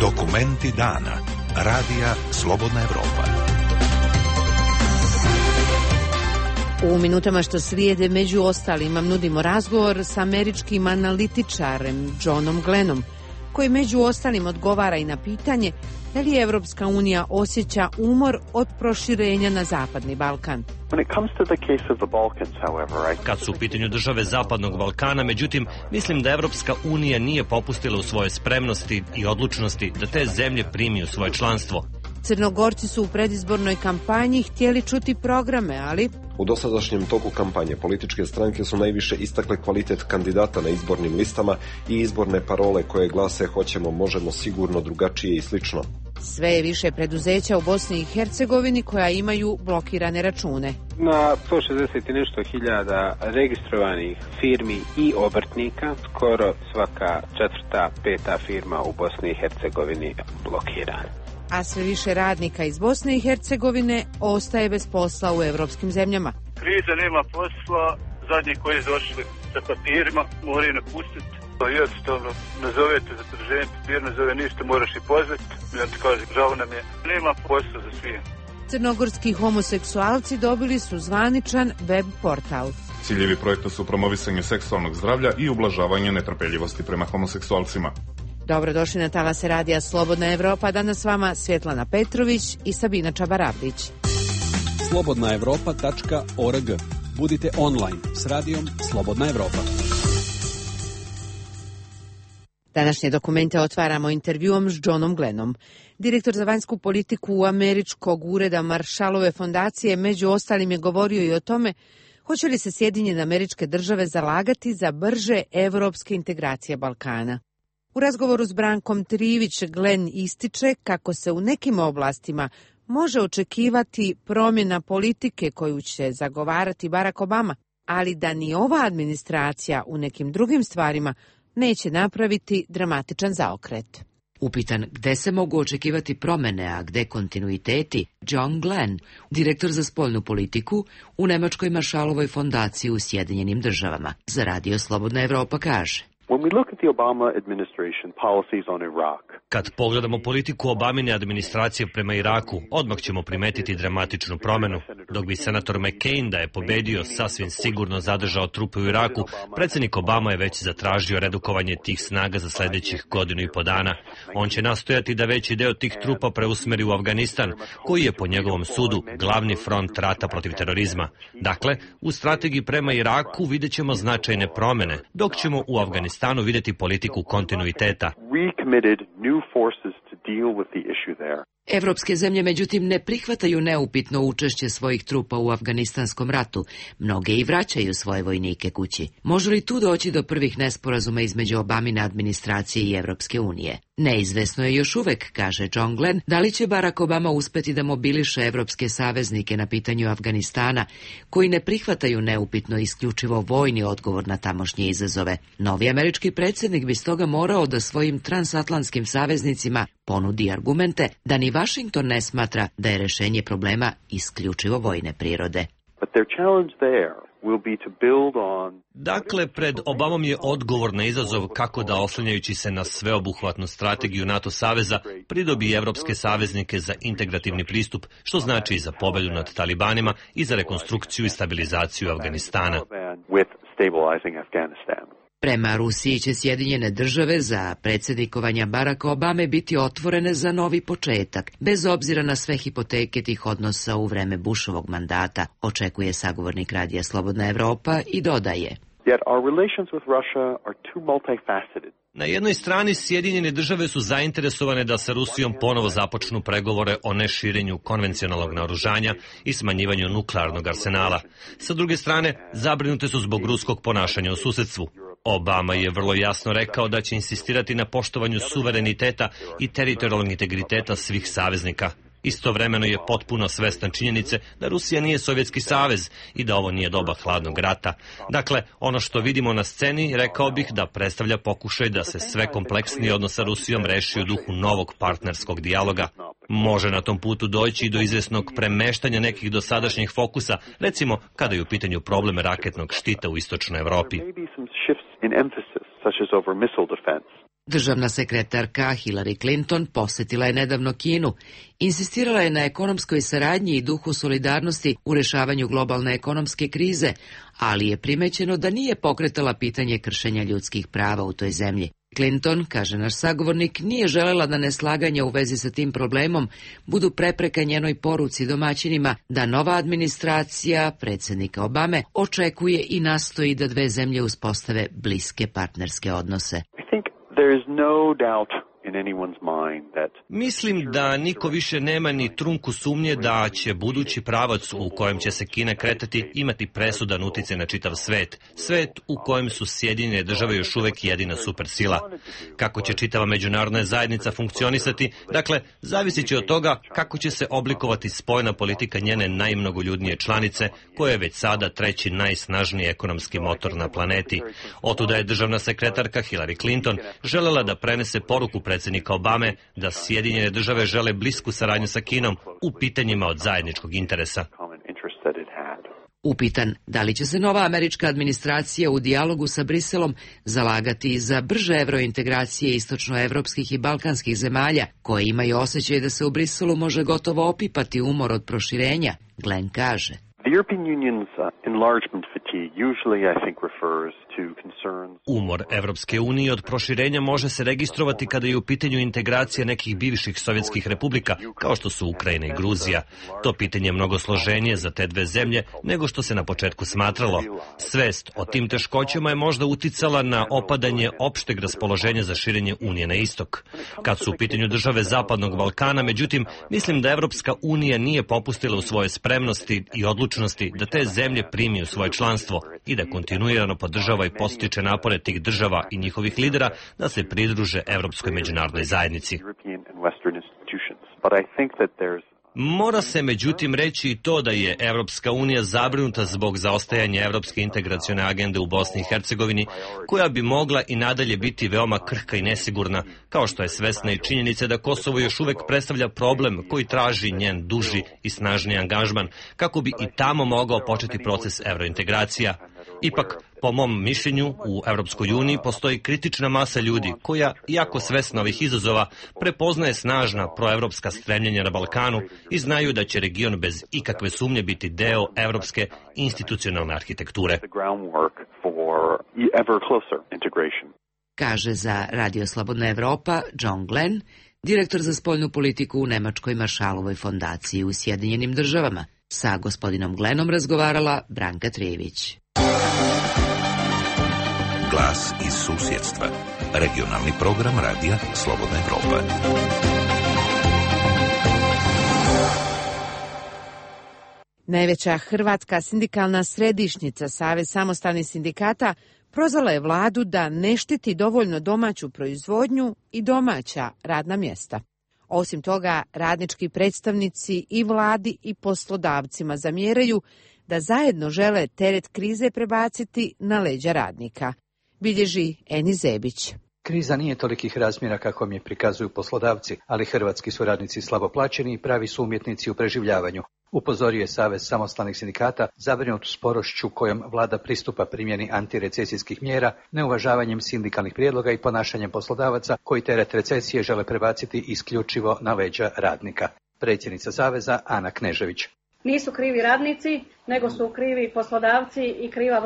Dokumenti dana. Radija Slobodna Evropa. U minutama što slijede među ostalima nudimo razgovor sa američkim analitičarem Johnom Glennom, koji među ostalim odgovara i na pitanje da li Evropska unija osjeća umor od proširenja na Zapadni Balkan. Kad su u pitanju države Zapadnog Balkana, međutim, mislim da Evropska unija nije popustila u svojoj spremnosti i odlučnosti da te zemlje primi u svoje članstvo. Crnogorci su u predizbornoj kampanji htjeli čuti programe, ali... U dosadašnjem toku kampanje političke stranke su najviše istakle kvalitet kandidata na izbornim listama i izborne parole koje glase hoćemo, možemo, sigurno, drugačije i slično. Sve je više preduzeća u Bosni i Hercegovini koja imaju blokirane račune. Na 160 i nešto hiljada registrovanih firmi i obrtnika, skoro svaka četvrta, peta firma u Bosni i Hercegovini blokirana. A sve više radnika iz Bosne i Hercegovine ostaje bez posla u evropskim zemljama. Kriza, nema posla, zadnji koji su došli sa papirima moraju napustiti. Jednostavno, nazovete za produženje papir, nazove ništa, moraš i pozvati. Ja ti kažem, žao nam je, nema posla za svijem. Crnogorski homoseksualci dobili su zvaničan web portal. Ciljevi projekta su promovisanje seksualnog zdravlja i ublažavanje netrpeljivosti prema homoseksualcima. Dobrodošli na talase radija Slobodna Evropa. Danas s vama Svjetlana Petrović i Sabina Čabarabdić. slobodnaevropa.org. Budite online s radijom Slobodna Evropa. Današnje dokumente otvaramo intervjuom s Johnom Glennom. Direktor za vanjsku politiku u američkog ureda Marshallove fondacije među ostalim je govorio i o tome hoće li se Sjedinjene Američke Države zalagati za brže evropske integracije Balkana. U razgovoru s Brankom Trivić Glenn ističe kako se u nekim oblastima može očekivati promjena politike koju će zagovarati Barack Obama, ali da ni ova administracija u nekim drugim stvarima neće napraviti dramatičan zaokret. Upitan gde se mogu očekivati promene, a gde kontinuiteti, John Glenn, direktor za spoljnu politiku u Nemačkoj Marshallovoj fondaciji u Sjedinjenim Državama, za Radio Slobodna Evropa kaže: Kad pogledamo politiku Obamine administracije prema Iraku, odmah ćemo primetiti dramatičnu promjenu. Dok bi senator McCain, da je pobedio, sasvim sigurno zadržao trupe u Iraku, predsjednik Obama je već zatražio redukovanje tih snaga za sljedećih 1.5 dana. On će nastojati da veći deo tih trupa preusmeri u Afganistan, koji je po njegovom sudu glavni front rata protiv terorizma. Dakle, u strategiji prema Iraku vidjet ćemo značajne promjene, dok ćemo u Afganistanu vidjeti politiku kontinuiteta. Evropske zemlje međutim ne prihvataju neupitno učešće svojih trupa u afganistanskom ratu. Mnoge i vraćaju svoje vojnike kući. Može li tu doći do prvih nesporazuma između Obamine administracije i Evropske unije? Neizvesno je još uvek, kaže John Glenn, da li će Barack Obama uspeti da mobiliše evropske saveznike na pitanju Afganistana, koji ne prihvataju neupitno isključivo vojni odgovor na tamošnje izazove. Novi američki predsjednik bi stoga morao da svojim transatlantskim saveznicima ponudi argumente da ni Washington ne smatra da je rešenje problema isključivo vojne prirode. Dakle, pred Obamom je odgovor na izazov kako da, oslanjajući se na sveobuhvatnu strategiju NATO saveza, pridobi evropske saveznike za integrativni pristup, što znači i za pobedu nad talibanima i za rekonstrukciju i stabilizaciju Afganistana. Prema Rusiji će Sjedinjene Države za predsjednikovanja Baracka Obame biti otvorene za novi početak, bez obzira na sve hipoteke tih odnosa u vreme Bushovog mandata, očekuje sagovornik Radija Slobodna Evropa i dodaje: Na jednoj strani Sjedinjene Države su zainteresovane da sa Rusijom ponovo započnu pregovore o neširenju konvencionalnog naoružanja i smanjivanju nuklearnog arsenala. Sa druge strane, zabrinute su zbog ruskog ponašanja u susedstvu. Obama je vrlo jasno rekao da će insistirati na poštovanju suvereniteta i teritorijalnog integriteta svih saveznika. Istovremeno je potpuno svestan činjenice da Rusija nije Sovjetski savez i da ovo nije doba hladnog rata. Dakle, ono što vidimo na sceni, rekao bih da predstavlja pokušaj da se sve kompleksniji odnos sa Rusijom reši u duhu novog partnerskog dijaloga. Može na tom putu doći i do izvesnog premeštanja nekih dosadašnjih fokusa, recimo kada je u pitanju problem raketnog štita u istočnoj Evropi. Državna sekretarka Hillary Clinton posjetila je nedavno Kinu. Insistirala je na ekonomskoj saradnji i duhu solidarnosti u rješavanju globalne ekonomske krize, ali je primećeno da nije pokretala pitanje kršenja ljudskih prava u toj zemlji. Clinton, kaže naš sagovornik, nije želela da neslaganja u vezi sa tim problemom budu prepreka njenoj poruci domaćinima da nova administracija predsjednika Obame očekuje i nastoji da dve zemlje uspostave bliske partnerske odnose. Mislim da niko više nema ni trunku sumnje da će budući pravac u kojem će se Kina kretati imati presudan utjecaj na čitav svet. Svet u kojem su Sjedinjene Države još uvek jedina supersila. Kako će čitava međunarodna zajednica funkcionisati, dakle, zavisit će od toga kako će se oblikovati spoljna politika njene najmnogoljudnije članice, koja je već sada treći najsnažniji ekonomski motor na planeti. Otuda je državna sekretarka Hillary Clinton želela da prenese poruku predsjednika Obame da Sjedinjene Države žele blisku saradnju sa Kinom u pitanjima od zajedničkog interesa. Upitan da li će se nova američka administracija u dijalogu sa Briselom zalagati za brže evrointegracije istočnoevropskih i balkanskih zemalja, koje imaju osjećaj da se u Briselu može gotovo opipati umor od proširenja, Glenn kaže. Umor Evropske unije od proširenja može se registrovati kada je u pitanju integracija nekih bivših sovjetskih republika, kao što su Ukrajina i Gruzija. To pitanje je mnogo složenije za te dve zemlje nego što se na početku smatralo. Svest o tim teškoćama je možda uticala na opadanje opšteg raspoloženja za širenje Unije na istok. Kad su u pitanju države Zapadnog Balkana, međutim, mislim da Evropska unija nije popustila u svojoj spremnosti i odlučnosti da te zemlje primi u svoje članstvo i da kontinuirano podržava i postiče napore tih država i njihovih lidera da se pridruže Evropskoj međunarodnoj zajednici. Mora se međutim reći i to da je Evropska unija zabrinuta zbog zaostajanja Evropske integracione agende u Bosni i Hercegovini, koja bi mogla i nadalje biti veoma krhka i nesigurna, kao što je svesna i činjenica da Kosovo još uvek predstavlja problem koji traži njen duži i snažni angažman, kako bi i tamo mogao početi proces evrointegracija. Ipak, po mom mišljenju, u Evropskoj uniji postoji kritična masa ljudi koja, iako svesna ovih izazova, prepoznaje snažna proevropska stremljenja na Balkanu i znaju da će region bez ikakve sumnje biti deo evropske institucionalne arhitekture. Kaže za Radio Slobodna Evropa John Glenn, direktor za spoljnu politiku u Nemačkoj Maršalovoj fondaciji u Sjedinjenim Državama. Sa gospodinom Glennom razgovarala Branka Trijević. Glas iz susjedstva. Regionalni program radija Slobodna Evropa. Najveća hrvatska sindikalna središnjica, Savez samostalnih sindikata, prozvala je vladu da ne štiti dovoljno domaću proizvodnju i domaća radna mjesta. Osim toga, radnički predstavnici i vladi i poslodavcima zamjeraju da zajedno žele teret krize prebaciti na leđa radnika. Bilježi Eni Zebić. Kriza nije tolikih razmjera kako mi je prikazuju poslodavci, ali hrvatski su radnici slabo plaćeni i pravi su umjetnici u preživljavanju. Upozorio je Savez samostalnih sindikata zabrinut sporošću kojom vlada pristupa primjeni antirecesijskih mjera, neuvažavanjem sindikalnih prijedloga i ponašanjem poslodavaca koji teret recesije žele prebaciti isključivo na leđa radnika. Predsjednica Saveza Ana Knežević. Nisu krivi radnici, nego su krivi poslodavci i kriva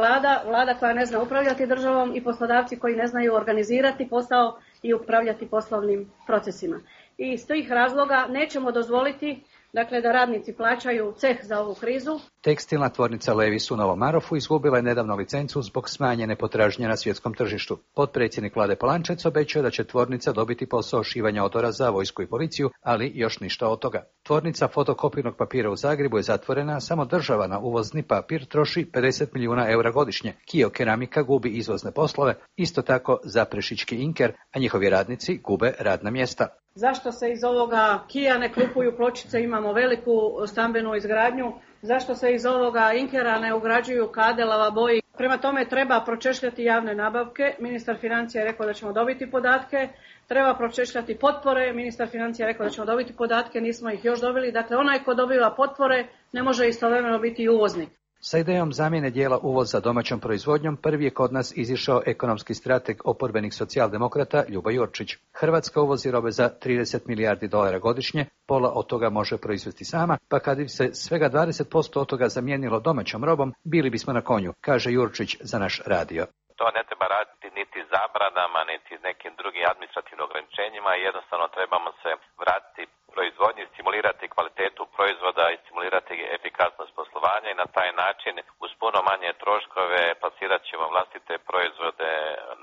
vlada koja ne zna upravljati državom i poslodavci koji ne znaju organizirati posao i upravljati poslovnim procesima. I iz tih razloga nećemo dozvoliti da radnici plaćaju ceh za ovu krizu. Tekstilna tvornica Levis u Novom Marofu izgubila je nedavno licencu zbog smanjene potražnje na svjetskom tržištu. Potpredsjednik vlade Polančec obećao da će tvornica dobiti posao šivanja odora za vojsku i policiju, ali još ništa od toga. Tvornica fotokopirnog papira u Zagrebu je zatvorena, samo država na uvozni papir troši 50 milijuna eura godišnje. Kio Keramika gubi izvozne poslove, isto tako Zaprešićki Inker, a njihovi radnici gube radna mjesta. Zašto se iz ovoga Kia ne kupuju pločice, imamo veliku stambenu izgradnju, zašto se iz ovoga Inkera ne ugrađuju kade, lavaboji. Prema tome treba pročešljati javne nabavke, ministar financija je rekao da ćemo dobiti podatke, treba pročešljati potpore, ministar financija je rekao da ćemo dobiti podatke, nismo ih još dobili, dakle onaj ko dobiva potpore ne može istovremeno biti uvoznik. Sa idejom zamjene dijela uvoza domaćom proizvodnjom prvi je kod nas izišao ekonomski strateg oporbenih socijaldemokrata Ljubo Jurčić. Hrvatska uvozi robe za 30 milijardi dolara godišnje, pola od toga može proizvesti sama, pa kad bi se svega 20% od toga zamijenilo domaćom robom, bili bismo na konju, kaže Jurčić za naš radio. To ne treba raditi niti zabranama, niti nekim drugim administrativnim ograničenjima, jednostavno trebamo se vratiti proizvodnji, stimulirati kvalitetu proizvoda i stimulirati efikasnost poslovanja i na taj način uz puno manje troškove plasirat ćemo vlastite proizvode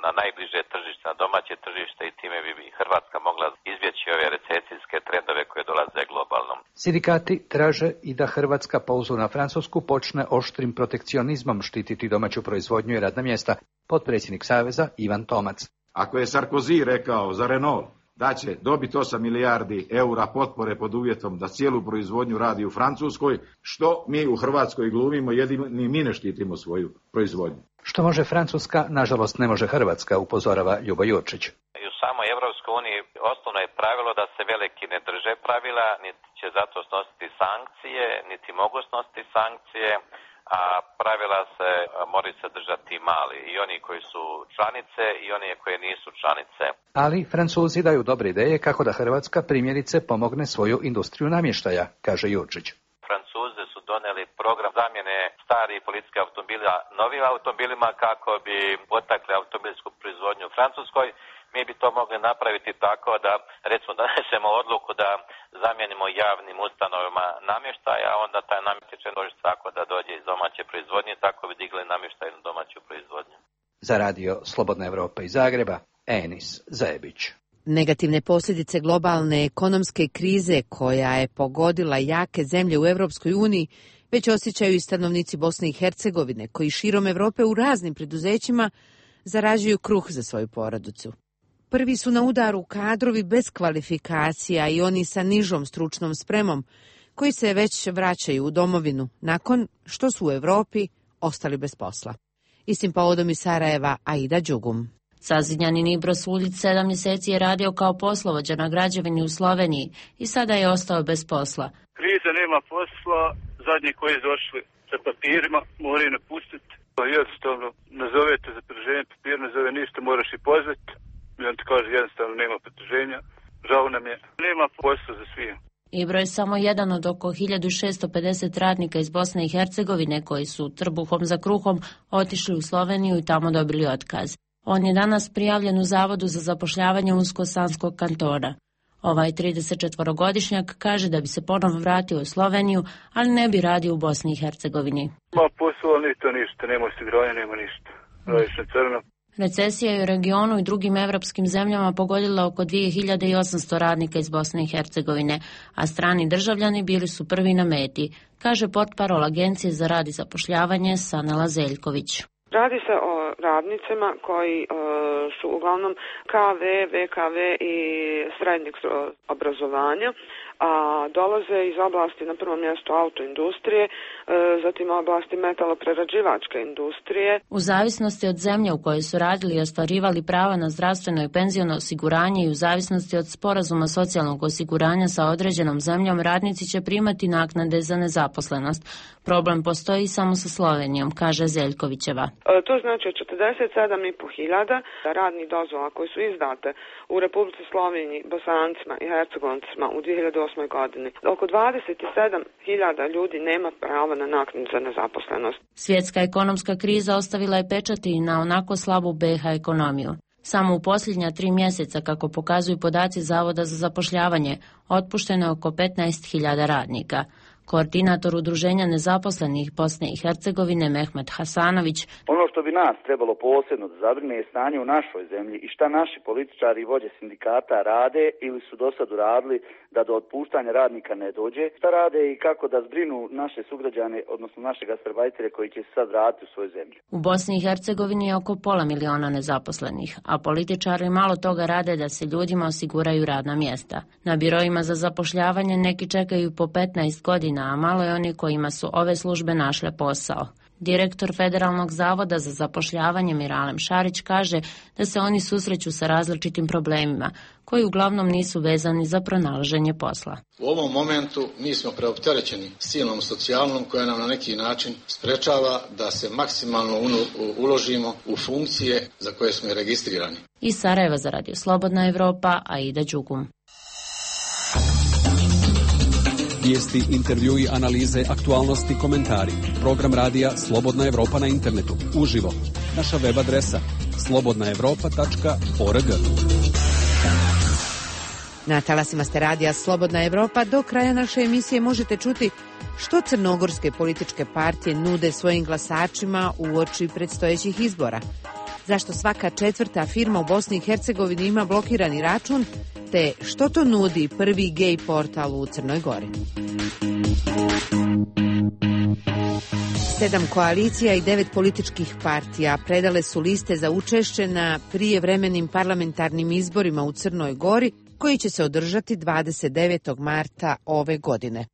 na najbliže tržište, na domaće tržište i time bi Hrvatska mogla izbjeći ove recesijske trendove koje dolaze globalno. Sindikati traže i da Hrvatska po uzoru na Francusku počne oštrim protekcionizmom štititi domaću proizvodnju i radna mjesta. Potpredsjednik Saveza Ivan Tomac. Ako je Sarkozy rekao za Renault da će dobiti 8 milijardi eura potpore pod uvjetom da cijelu proizvodnju radi u Francuskoj, što mi u Hrvatskoj glumimo, jedini mi ne štitimo svoju proizvodnju. Što može Francuska, nažalost ne može Hrvatska, upozorava Ljubo Jurčić. I u samoj Europskoj uniji osnovno je pravilo da se veliki ne drže pravila, niti će zato snositi sankcije, niti mogu snositi sankcije, a pravila se moraju se držati mali, i oni koji su članice i oni koji nisu članice. Ali Francuzi daju dobre ideje kako da Hrvatska primjerice pomogne svoju industriju namještaja, kaže Jurčić. Francuzi su donijeli program zamjene starih policijskih automobila novim automobilima kako bi potakli automobilsku proizvodnju u Francuskoj. Mi bi to mogli napraviti tako da, recimo, donesemo odluku da zamijenimo javnim ustanovama namještaj, a onda taj namještaj će doći tako da dođe iz domaće proizvodnje, tako bi digli namještaj na domaću proizvodnju. Za radio Slobodna Evropa iz Zagreba, Enis Zajebić. Negativne posljedice globalne ekonomske krize koja je pogodila jake zemlje u Europskoj uniji već osjećaju i stanovnici Bosne i Hercegovine, koji širom Europe u raznim preduzećima zarađuju kruh za svoju porodicu. Prvi su na udaru kadrovi bez kvalifikacija i oni sa nižom stručnom spremom, koji se već vraćaju u domovinu nakon što su u Europi ostali bez posla. Istim povodom iz Sarajeva, Aida Đugum. Sazidnjanin Ibros Uljić 7 mjeseci je radio kao poslovođa na građevini u Sloveniji i sada je ostao bez posla. Kriza, nema posla, zadnji koji su došli sa papirima moraju napustiti. Jednostavno nazovete za produženje papira, nazove ništa, moraš i pozvati. I on ti kaže jednostavno nema produženja, žao nam je, nema posla za svije. Ibro je samo jedan od oko 1650 radnika iz Bosne i Hercegovine koji su trbuhom za kruhom otišli u Sloveniju i tamo dobili otkaz. On je danas prijavljen u Zavodu za zapošljavanje Unsko-Sanskog kantona. Ovaj 34-godišnjak kaže da bi se ponovo vratio u Sloveniju, ali ne bi radio u Bosni i Hercegovini. Ma posao ni to ništa, nema osiguranja, nema ništa. Radiš na crno. Recesija je u regionu i drugim evropskim zemljama pogodila oko 2800 radnika iz Bosne i Hercegovine, a strani državljani bili su prvi na meti, kaže portparol Agencije za rad i zapošljavanje Sanela Zeljković. Radi se o radnicima koji su uglavnom KV, VKV i srednjeg obrazovanja, a dolaze iz oblasti na prvom mjestu autoindustrije, zatim oblasti metaloprerađivačke industrije. U zavisnosti od zemlje u kojoj su radili i ostvarivali prava na zdravstveno i penziono osiguranje i u zavisnosti od sporazuma socijalnog osiguranja sa određenom zemljom, radnici će primati naknade za nezaposlenost. Problem postoji samo sa Slovenijom, kaže Zeljkovićeva. To znači od 47.500 radnih dozvola koje su izdate u Republici Sloveniji, Bosancima i Hercegoncima u 2008. godini. Oko 27.000 ljudi nema prava na naknadu za nezaposlenost. Svjetska ekonomska kriza ostavila je pečati i na onako slabu BiH ekonomiju. Samo u posljednja 3 mjeseca, kako pokazuju podaci Zavoda za zapošljavanje, otpušteno je oko 15.000 radnika. Koordinator Udruženja nezaposlenih Bosne i Hercegovine Mehmet Hasanović. Ono što bi nas trebalo posebno da zabrine je stanje u našoj zemlji i šta naši političari i vođe sindikata rade ili su do sad uradili da do otpuštanja radnika ne dođe. Šta rade i kako da zbrinu naše sugrađane, odnosno naše gastarbajtere koji će se sad vratiti u svoju zemlju. U Bosni i Hercegovini je oko 500.000 nezaposlenih, a političari malo toga rade da se ljudima osiguraju radna mjesta. Na biroima za zapošljavanje neki čekaju po 15 godina, a malo je oni kojima su ove službe našle posao. Direktor Federalnog zavoda za zapošljavanje Miralem Šarić kaže da se oni susreću sa različitim problemima, koji uglavnom nisu vezani za pronalaženje posla. U ovom momentu mi smo preopterećeni silnom socijalnom koja nam na neki način sprečava da se maksimalno uložimo u funkcije za koje smo registrirani. Iz Sarajeva za Radio Slobodna Evropa, Aida Đugum. Vijesti, intervjui, analize, aktualnosti, komentari. Program radija Slobodna Evropa na internetu. Uživo. Naša web adresa slobodnaevropa.org. Na talasima ste radija Slobodna Evropa. Do kraja naše emisije možete čuti što crnogorske političke partije nude svojim glasačima uoči predstojećih izbora. Zašto svaka četvrta firma u Bosni i Hercegovini ima blokirani račun, te što to nudi prvi gej portal u Crnoj Gori. 7 koalicija i 9 političkih partija predale su liste za učešće na prijevremenim parlamentarnim izborima u Crnoj Gori, koji će se održati 29. marta ove godine.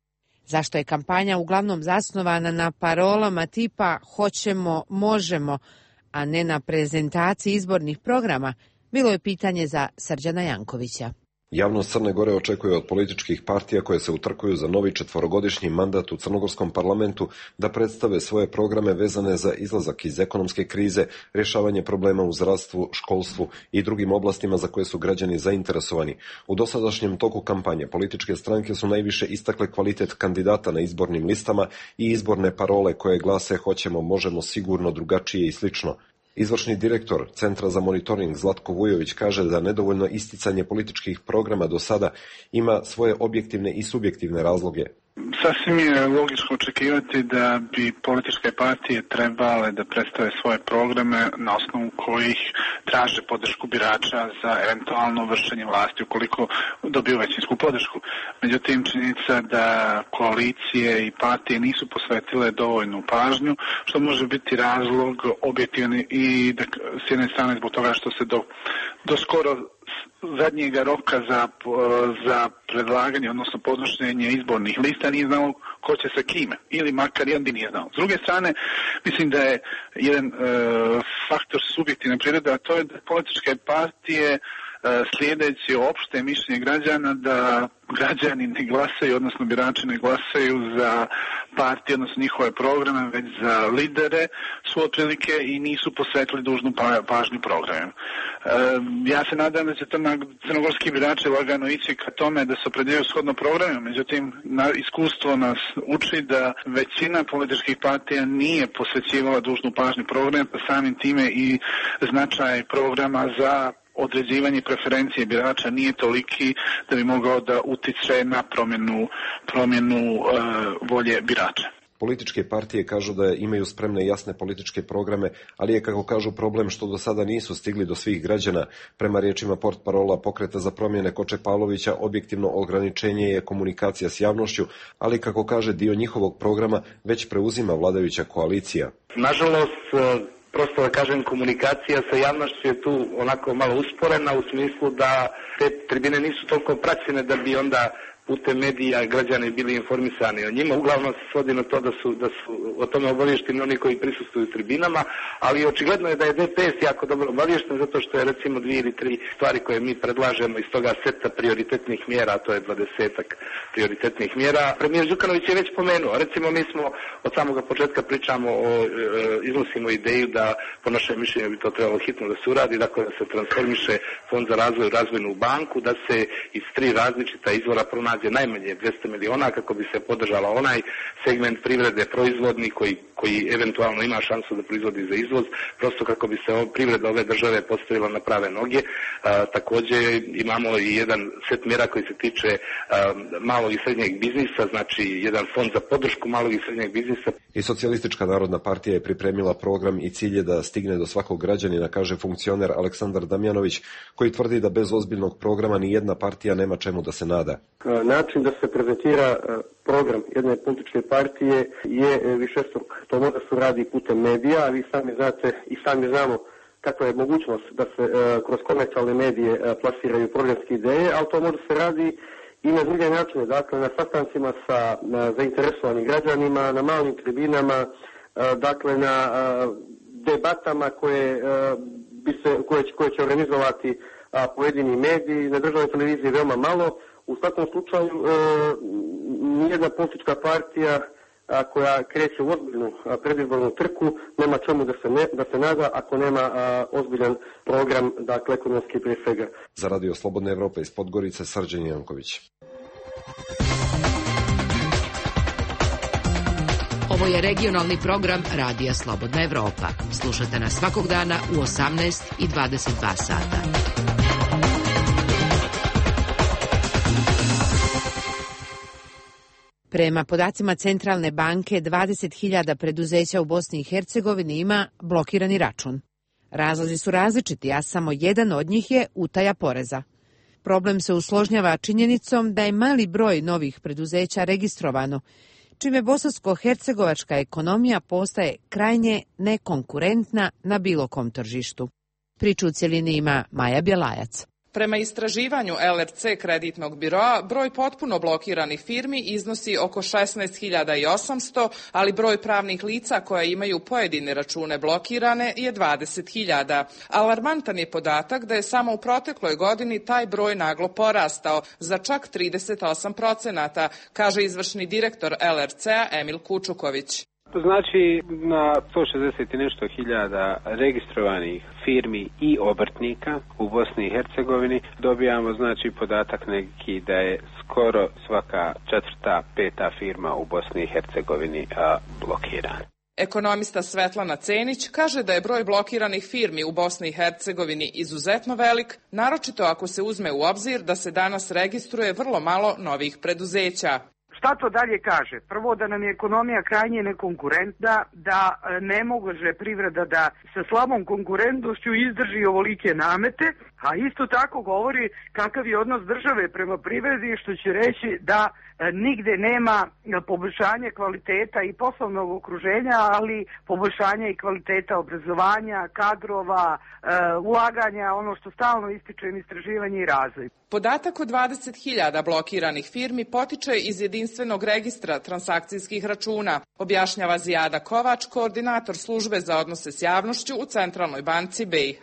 Zašto je kampanja uglavnom zasnovana na parolama tipa hoćemo, možemo, a ne na prezentaciji izbornih programa, bilo je pitanje za Srđana Jankovića. Javnost Crne Gore očekuje od političkih partija koje se utrkuju za novi 4-godišnji mandat u crnogorskom parlamentu da predstave svoje programe vezane za izlazak iz ekonomske krize, rješavanje problema u zdravstvu, školstvu i drugim oblastima za koje su građani zainteresovani. U dosadašnjem toku kampanje političke stranke su najviše istakle kvalitet kandidata na izbornim listama i izborne parole koje glase hoćemo, možemo, sigurno, drugačije i slično. Izvršni direktor Centra za monitoring Zlatko Vujović kaže da nedovoljno isticanje političkih programa do sada ima svoje objektivne i subjektivne razloge. Sasvim je logično očekivati da bi političke partije trebale da predstave svoje programe na osnovu kojih traže podršku birača za eventualno vršenje vlasti ukoliko dobiju većinsku podršku. Međutim, činjenica da koalicije i partije nisu posvetile dovoljnu pažnju, što može biti razlog objektivni i da, s jedne strane zbog toga što se do skoro zadnjega roka za predlaganje, odnosno podnošenje izbornih lista nije znao ko će sa kime, ili makar jedan nije znao. S druge strane, mislim da je jedan faktor subjektivne prirode, a to je da političke partije slijedeći opšte mišljenje građana da građani ne glasaju, odnosno birači ne glasaju za partije, odnosno njihove programe, već za lidere su otprilike i nisu posvetili dužnu pažnju programima. Ja se nadam da će crnogorski birači lagano ići ka tome da se opredjeljuju shodno programima, međutim iskustvo nas uči da većina političkih partija nije posvećivala dužnu pažnju programa, pa samim time i značaj programa za određivanje preferencije birača nije toliki da bi mogao da utiče na promjenu volje birača. Političke partije kažu da imaju spremne i jasne političke programe, ali je, kako kažu, problem što do sada nisu stigli do svih građana. Prema riječima portparola Pokreta za promjene Koče Pavlovića, objektivno ograničenje je komunikacija s javnošću, ali, kako kaže, dio njihovog programa već preuzima vladajuća koalicija. Nažalost, prosto da kažem, komunikacija sa javnošću je tu onako malo usporena u smislu da te tribine nisu toliko praćene da bi onda putem medija građani bili informisani o njima. Uglavnom se svodi na to da su o tome obavješteni oni koji prisustvuju tribinama, ali očigledno je da je DPS jako dobro obavješten zato što je recimo 2 ili 3 stvari koje mi predlažemo iz toga seta prioritetnih mjera, a to je 20-ak prioritetnih mjera. Premijer Đukanović je već pomenuo, recimo mi smo od samoga početka iznosimo ideju da po našem mišljenju bi to trebalo hitno da se uradi, dakle da se transformiše Fond za razvoj u razvojnu banku, da se iz 3 različita izvora pronađe najmanje 200 miliona kako bi se podržala onaj segment privrede proizvodni koji eventualno ima šansu da proizvodi za izvoz, prosto kako bi se privreda ove države postavila na prave noge. Također imamo i jedan set mjera koji se tiče malog i srednjeg biznisa, znači jedan fond za podršku malog i srednjeg biznisa. I Socijalistička narodna partija je pripremila program i cilj je da stigne do svakog građanina, kaže funkcioner Aleksandar Damjanović, koji tvrdi da bez ozbiljnog programa ni jedna partija nema čemu da se nada. Način da se prezentira program jedne političke partije je višestruk. To može se radi putem medija, a vi sami znate i sami znamo kakva je mogućnost da se kroz komercijalne medije plasiraju programske ideje, ali to može se radi i na druge načine, dakle na sastancima sa zainteresovanim građanima, na malim tribinama, dakle na debatama koje će organizovati pojedini mediji, na državnoj televiziji veoma malo. U svakom slučaju nijedna politička partija koja kreće u ozbiljnu predizbornu trku nema čemu da se nada ako nema ozbiljan program, dakle ekonomski prije svega. Za Radio Slobodna Evropa iz Podgorice, Srđan Janković. Ovo je regionalni program Radija Slobodna Evropa. Slušajte nas svakog dana u 18 i 22 sata. Prema podacima Centralne banke, 20.000 preduzeća u Bosni i Hercegovini ima blokirani račun. Razlozi su različiti, a samo jedan od njih je utaja poreza. Problem se usložnjava činjenicom da je mali broj novih preduzeća registrovano, čime bosansko-hercegovačka ekonomija postaje krajnje nekonkurentna na bilo kom tržištu. Priču u cjelini ima Maja Bjelajac. Prema istraživanju LRC kreditnog biroa, broj potpuno blokiranih firmi iznosi oko 16.800, ali broj pravnih lica koja imaju pojedine račune blokirane je 20.000. Alarmantan je podatak da je samo u protekloj godini taj broj naglo porastao za čak 38%, kaže izvršni direktor LRC-a Emil Kučuković. To znači na 160 i nešto hiljada registrovanih firmi i obrtnika u Bosni i Hercegovini dobijamo znači podatak neki da je skoro svaka 4., 5. firma u Bosni i Hercegovini blokirana. Ekonomista Svetlana Cenić kaže da je broj blokiranih firmi u Bosni i Hercegovini izuzetno velik, naročito ako se uzme u obzir da se danas registruje vrlo malo novih preduzeća. Šta to dalje kaže? Prvo, da nam je ekonomija krajnje nekonkurentna, da ne može privreda da sa slabom konkurentnošću izdrži ovolike namete, a isto tako govori kakav je odnos države prema privredi, što će reći da nigde nema poboljšanja kvaliteta i poslovnog okruženja, ali poboljšanja i kvaliteta obrazovanja, kadrova, ulaganja, ono što stalno ističem, istraživanje i razvoj. Podatak od 20.000 blokiranih firmi potiče iz jedinstvenog registra transakcijskih računa, objašnjava Zijada Kovač, koordinator službe za odnose s javnošću u Centralnoj banci BiH.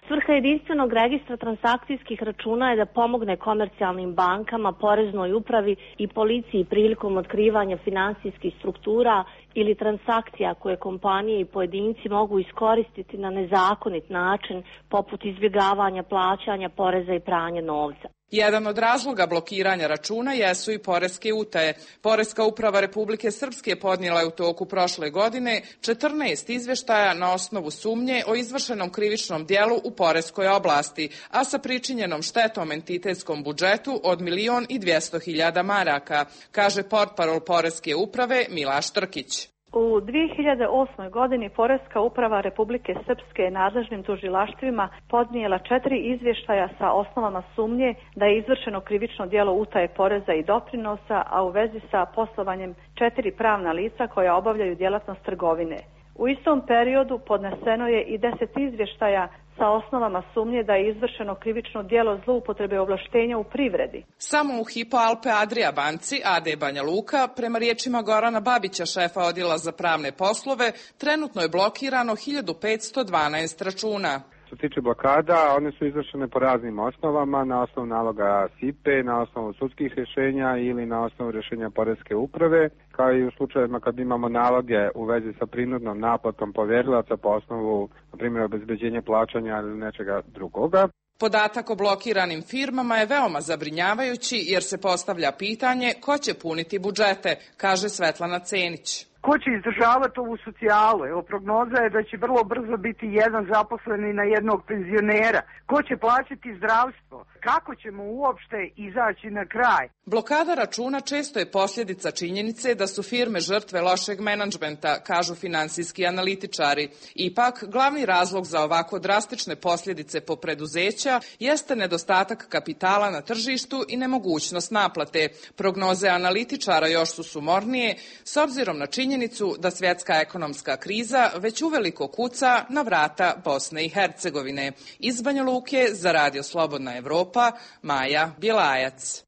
Svrha jedinstvenog registra transakcijskih računa je da pomogne komercijalnim bankama, poreznoj upravi i policiji prilikom otkrivanja finansijskih struktura ili transakcija koje kompanije i pojedinci mogu iskoristiti na nezakonit način, poput izbjegavanja plaćanja poreza i pranja novca. Jedan od razloga blokiranja računa jesu i poreske utaje. Poreska uprava Republike Srpske podnijela je u toku prošle godine 14 izvještaja na osnovu sumnje o izvršenom krivičnom dijelu u poreskoj oblasti, a sa pričinjenom štetom entitetskom budžetu od 1.200.000 maraka, kaže portparol Poreske uprave Milaš Trkić. U 2008. godini Poreska uprava Republike Srpske nadležnim tužilaštvima podnijela 4 izvještaja sa osnovama sumnje da je izvršeno krivično djelo utaje poreza i doprinosa, a u vezi sa poslovanjem 4 pravna lica koja obavljaju djelatnost trgovine. U istom periodu podneseno je i 10 izvještaja sa osnovama sumnje da je izvršeno krivično djelo zloupotrebe ovlaštenja u privredi. Samo u Hypo Alpe Adria banci AD Banja Luka, prema riječima Gorana Babića, šefa odjela za pravne poslove, trenutno je blokirano 1512 računa. Što se tiče blokada, one su izvršene po raznim osnovama, na osnovu naloga SIPE, na osnovu sudskih rješenja ili na osnovu rješenja Poreske uprave, kao i u slučajevima kad imamo naloge u vezi sa prinudnom naplatom povjerilaca po osnovu, na primjer, obezbeđenja plaćanja ili nečega drugoga. Podatak o blokiranim firmama je veoma zabrinjavajući jer se postavlja pitanje ko će puniti budžete, kaže Svetlana Cenić. Ko će izdržavati ovu socijalu? Evo, prognoza je da će vrlo brzo biti jedan zaposleni na jednog penzionera. Ko će plaćati zdravstvo? Kako ćemo uopšte izaći na kraj? Blokada računa često je posljedica činjenice da su firme žrtve lošeg menadžmenta, kažu finansijski analitičari. Ipak, glavni razlog za ovako drastične posljedice po preduzeća jeste nedostatak kapitala na tržištu i nemogućnost naplate. Prognoze analitičara još su sumornije, s obzirom na činjenicu da svjetska ekonomska kriza već uveliko kuca na vrata Bosne i Hercegovine. Iz Banja Luke za Radio Slobodna Evropa, Maja Bjelajac.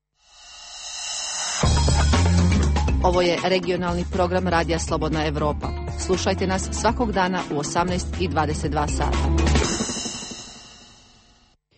Ovo je regionalni program Radija Slobodna Evropa. Slušajte nas svakog dana u 18:22 sata.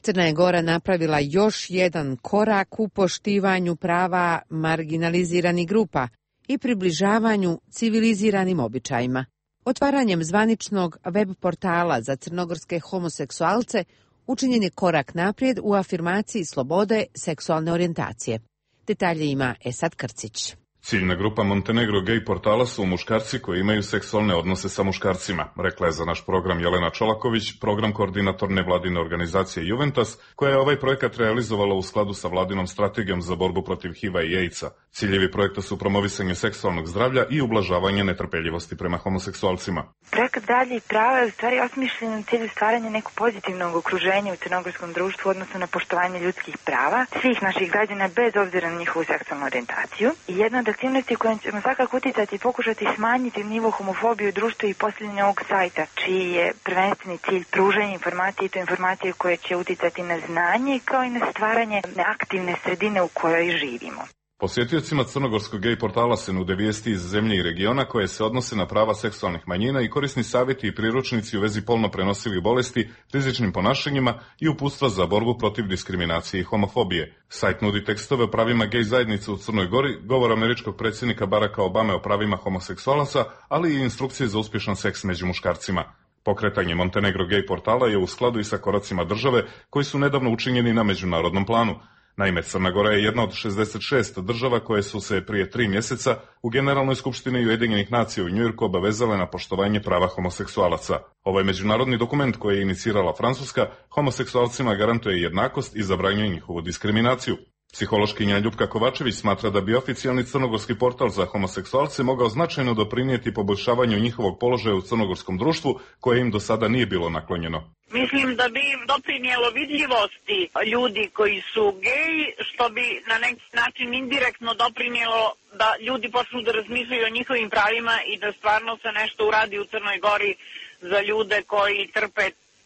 Crna je Gora napravila još jedan korak u poštivanju prava marginaliziranih grupa i približavanju civiliziranim običajima. Otvaranjem zvaničnog web portala za crnogorske homoseksualce učinjen je korak naprijed u afirmaciji slobode seksualne orijentacije. Detalje ima Esad Krcić. Ciljna grupa Montenegro gej portala su muškarci koji imaju seksualne odnose sa muškarcima, rekla je za naš program Jelena Čolaković, program koordinator nevladine organizacije Juventus, koja je ovaj projekat realizovala u skladu sa vladinom strategijom za borbu protiv HIV-a i AIDS-a. Ciljevi projekta su promovisanje seksualnog zdravlja i ublažavanje netrpeljivosti prema homoseksualcima. Projekat Zdravlje i prava je u stvari osmišljen u cilju stvaranja nekog pozitivnog okruženja u crnogorskom društvu, odnosno na poštovanje ljudskih prava svih naših građana bez obzira na njihovu seksualnu orijentaciju. I jedna od aktivnosti kojom ćemo svakako uticati i pokušati smanjiti nivo homofobije u društvu i postavljanje ovog sajta, čiji je prvenstveni cilj pružanje informacije i to informacije koje će uticati na znanje kao i na stvaranje neaktivne sredine u kojoj živimo. Posjetiocima crnogorskog gej portala se nude vijesti iz zemlje i regiona koje se odnose na prava seksualnih manjina i korisni savjeti i priručnici u vezi polno prenosivih bolesti, rizičnim ponašanjima i uputstva za borbu protiv diskriminacije i homofobije. Sajt nudi tekstove o pravima gej zajednice u Crnoj Gori, govor američkog predsjednika Baracka Obame o pravima homoseksualaca, ali i instrukcije za uspješan seks među muškarcima. Pokretanje Montenegro gej portala je u skladu i sa koracima države koji su nedavno učinjeni na međunarodnom planu. Naime, Crna Gora je jedna od 66 država koje su se prije 3 mjeseca u Generalnoj skupštini Ujedinjenih nacija u Njujorku obavezale na poštovanje prava homoseksualaca. Ovaj međunarodni dokument koji je inicirala Francuska homoseksualcima garantuje jednakost i zabranjuje njihovu diskriminaciju. Psihološkinja Ljupka Kovačević smatra da bi oficijalni crnogorski portal za homoseksualce mogao značajno doprinijeti poboljšavanju njihovog položaja u crnogorskom društvu koje im do sada nije bilo naklonjeno. Mislim da bi doprinijelo vidljivosti ljudi koji su geji, što bi na neki način indirektno doprinijelo da ljudi počnu da razmišljaju o njihovim pravima i da stvarno se nešto uradi u Crnoj Gori za ljude koji trpe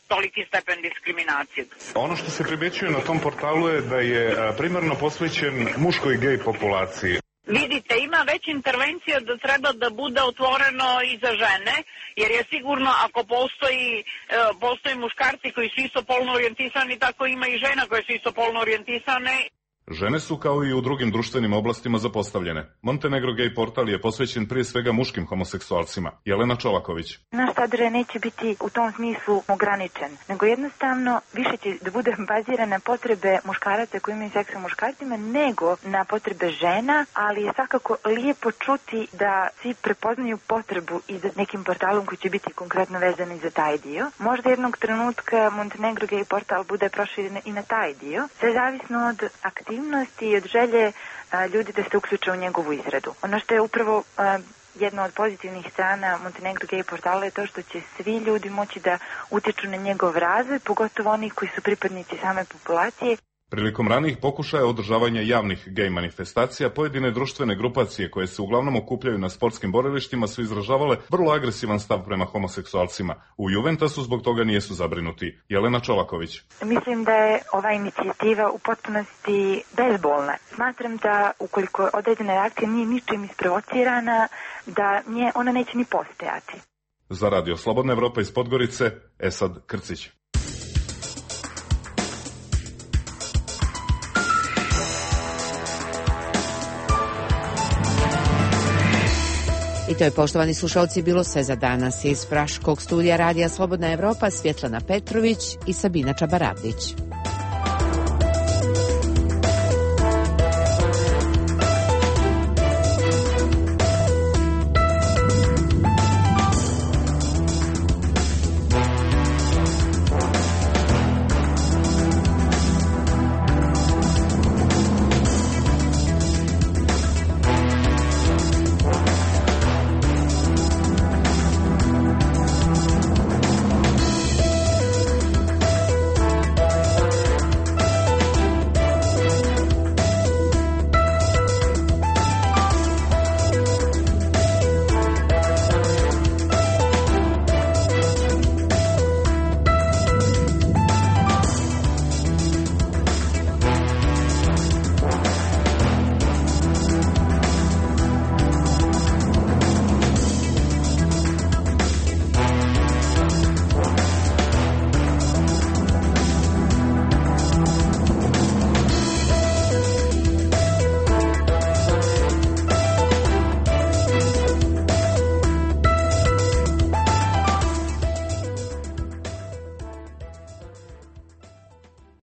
toliki stepen diskriminacije. Ono što se primjećuje na tom portalu je da je primarno posvećen muškoj gej populaciji. Vidite, ima već intervencija da treba da bude otvoreno i za žene, jer je sigurno ako postoji muškarci koji su istopolno orijentisani, tako ima i žena koje su istopolno orijentisane. Žene su kao i u drugim društvenim oblastima zapostavljene. Montenegro gej portal je posvećen prije svega muškim homoseksualcima. Jelena Čolaković. Naš sadržaj neće biti u tom smislu ograničen, nego jednostavno više će da bude baziran na potrebe muškaraca koji imaju seks sa muškarcima, nego na potrebe žena, ali je svakako lijepo čuti da svi prepoznaju potrebu i za nekim portalom koji će biti konkretno vezan i za taj dio. Možda jednog trenutka Montenegro gej portal bude proširen i na taj dio. Sve zavisno od aktivnosti i od želje ljudi da se uključe u njegovu izradu. Ono što je upravo jedna od pozitivnih strana Montenegro gej portala je to što će svi ljudi moći da utječu na njegov razvoj, pogotovo oni koji su pripadnici same populacije. Prilikom ranijih pokušaja održavanja javnih gej manifestacija, pojedine društvene grupacije koje se uglavnom okupljaju na sportskim borilištima su izražavale vrlo agresivan stav prema homoseksualcima. U Juventusu zbog toga nijesu zabrinuti. Jelena Čolaković. Mislim da je ova inicijativa u potpunosti bezbolna. Smatram da ukoliko određena reakcija nije ničim isprovocirana, da ona neće ni postojati. Za Radio Slobodna Evropa iz Podgorice, Esad Krcić. I to je, poštovani slušalci, bilo sve za danas iz Praškog studija Radija Slobodna Evropa, Svjetlana Petrović i Sabina Čabaravdić.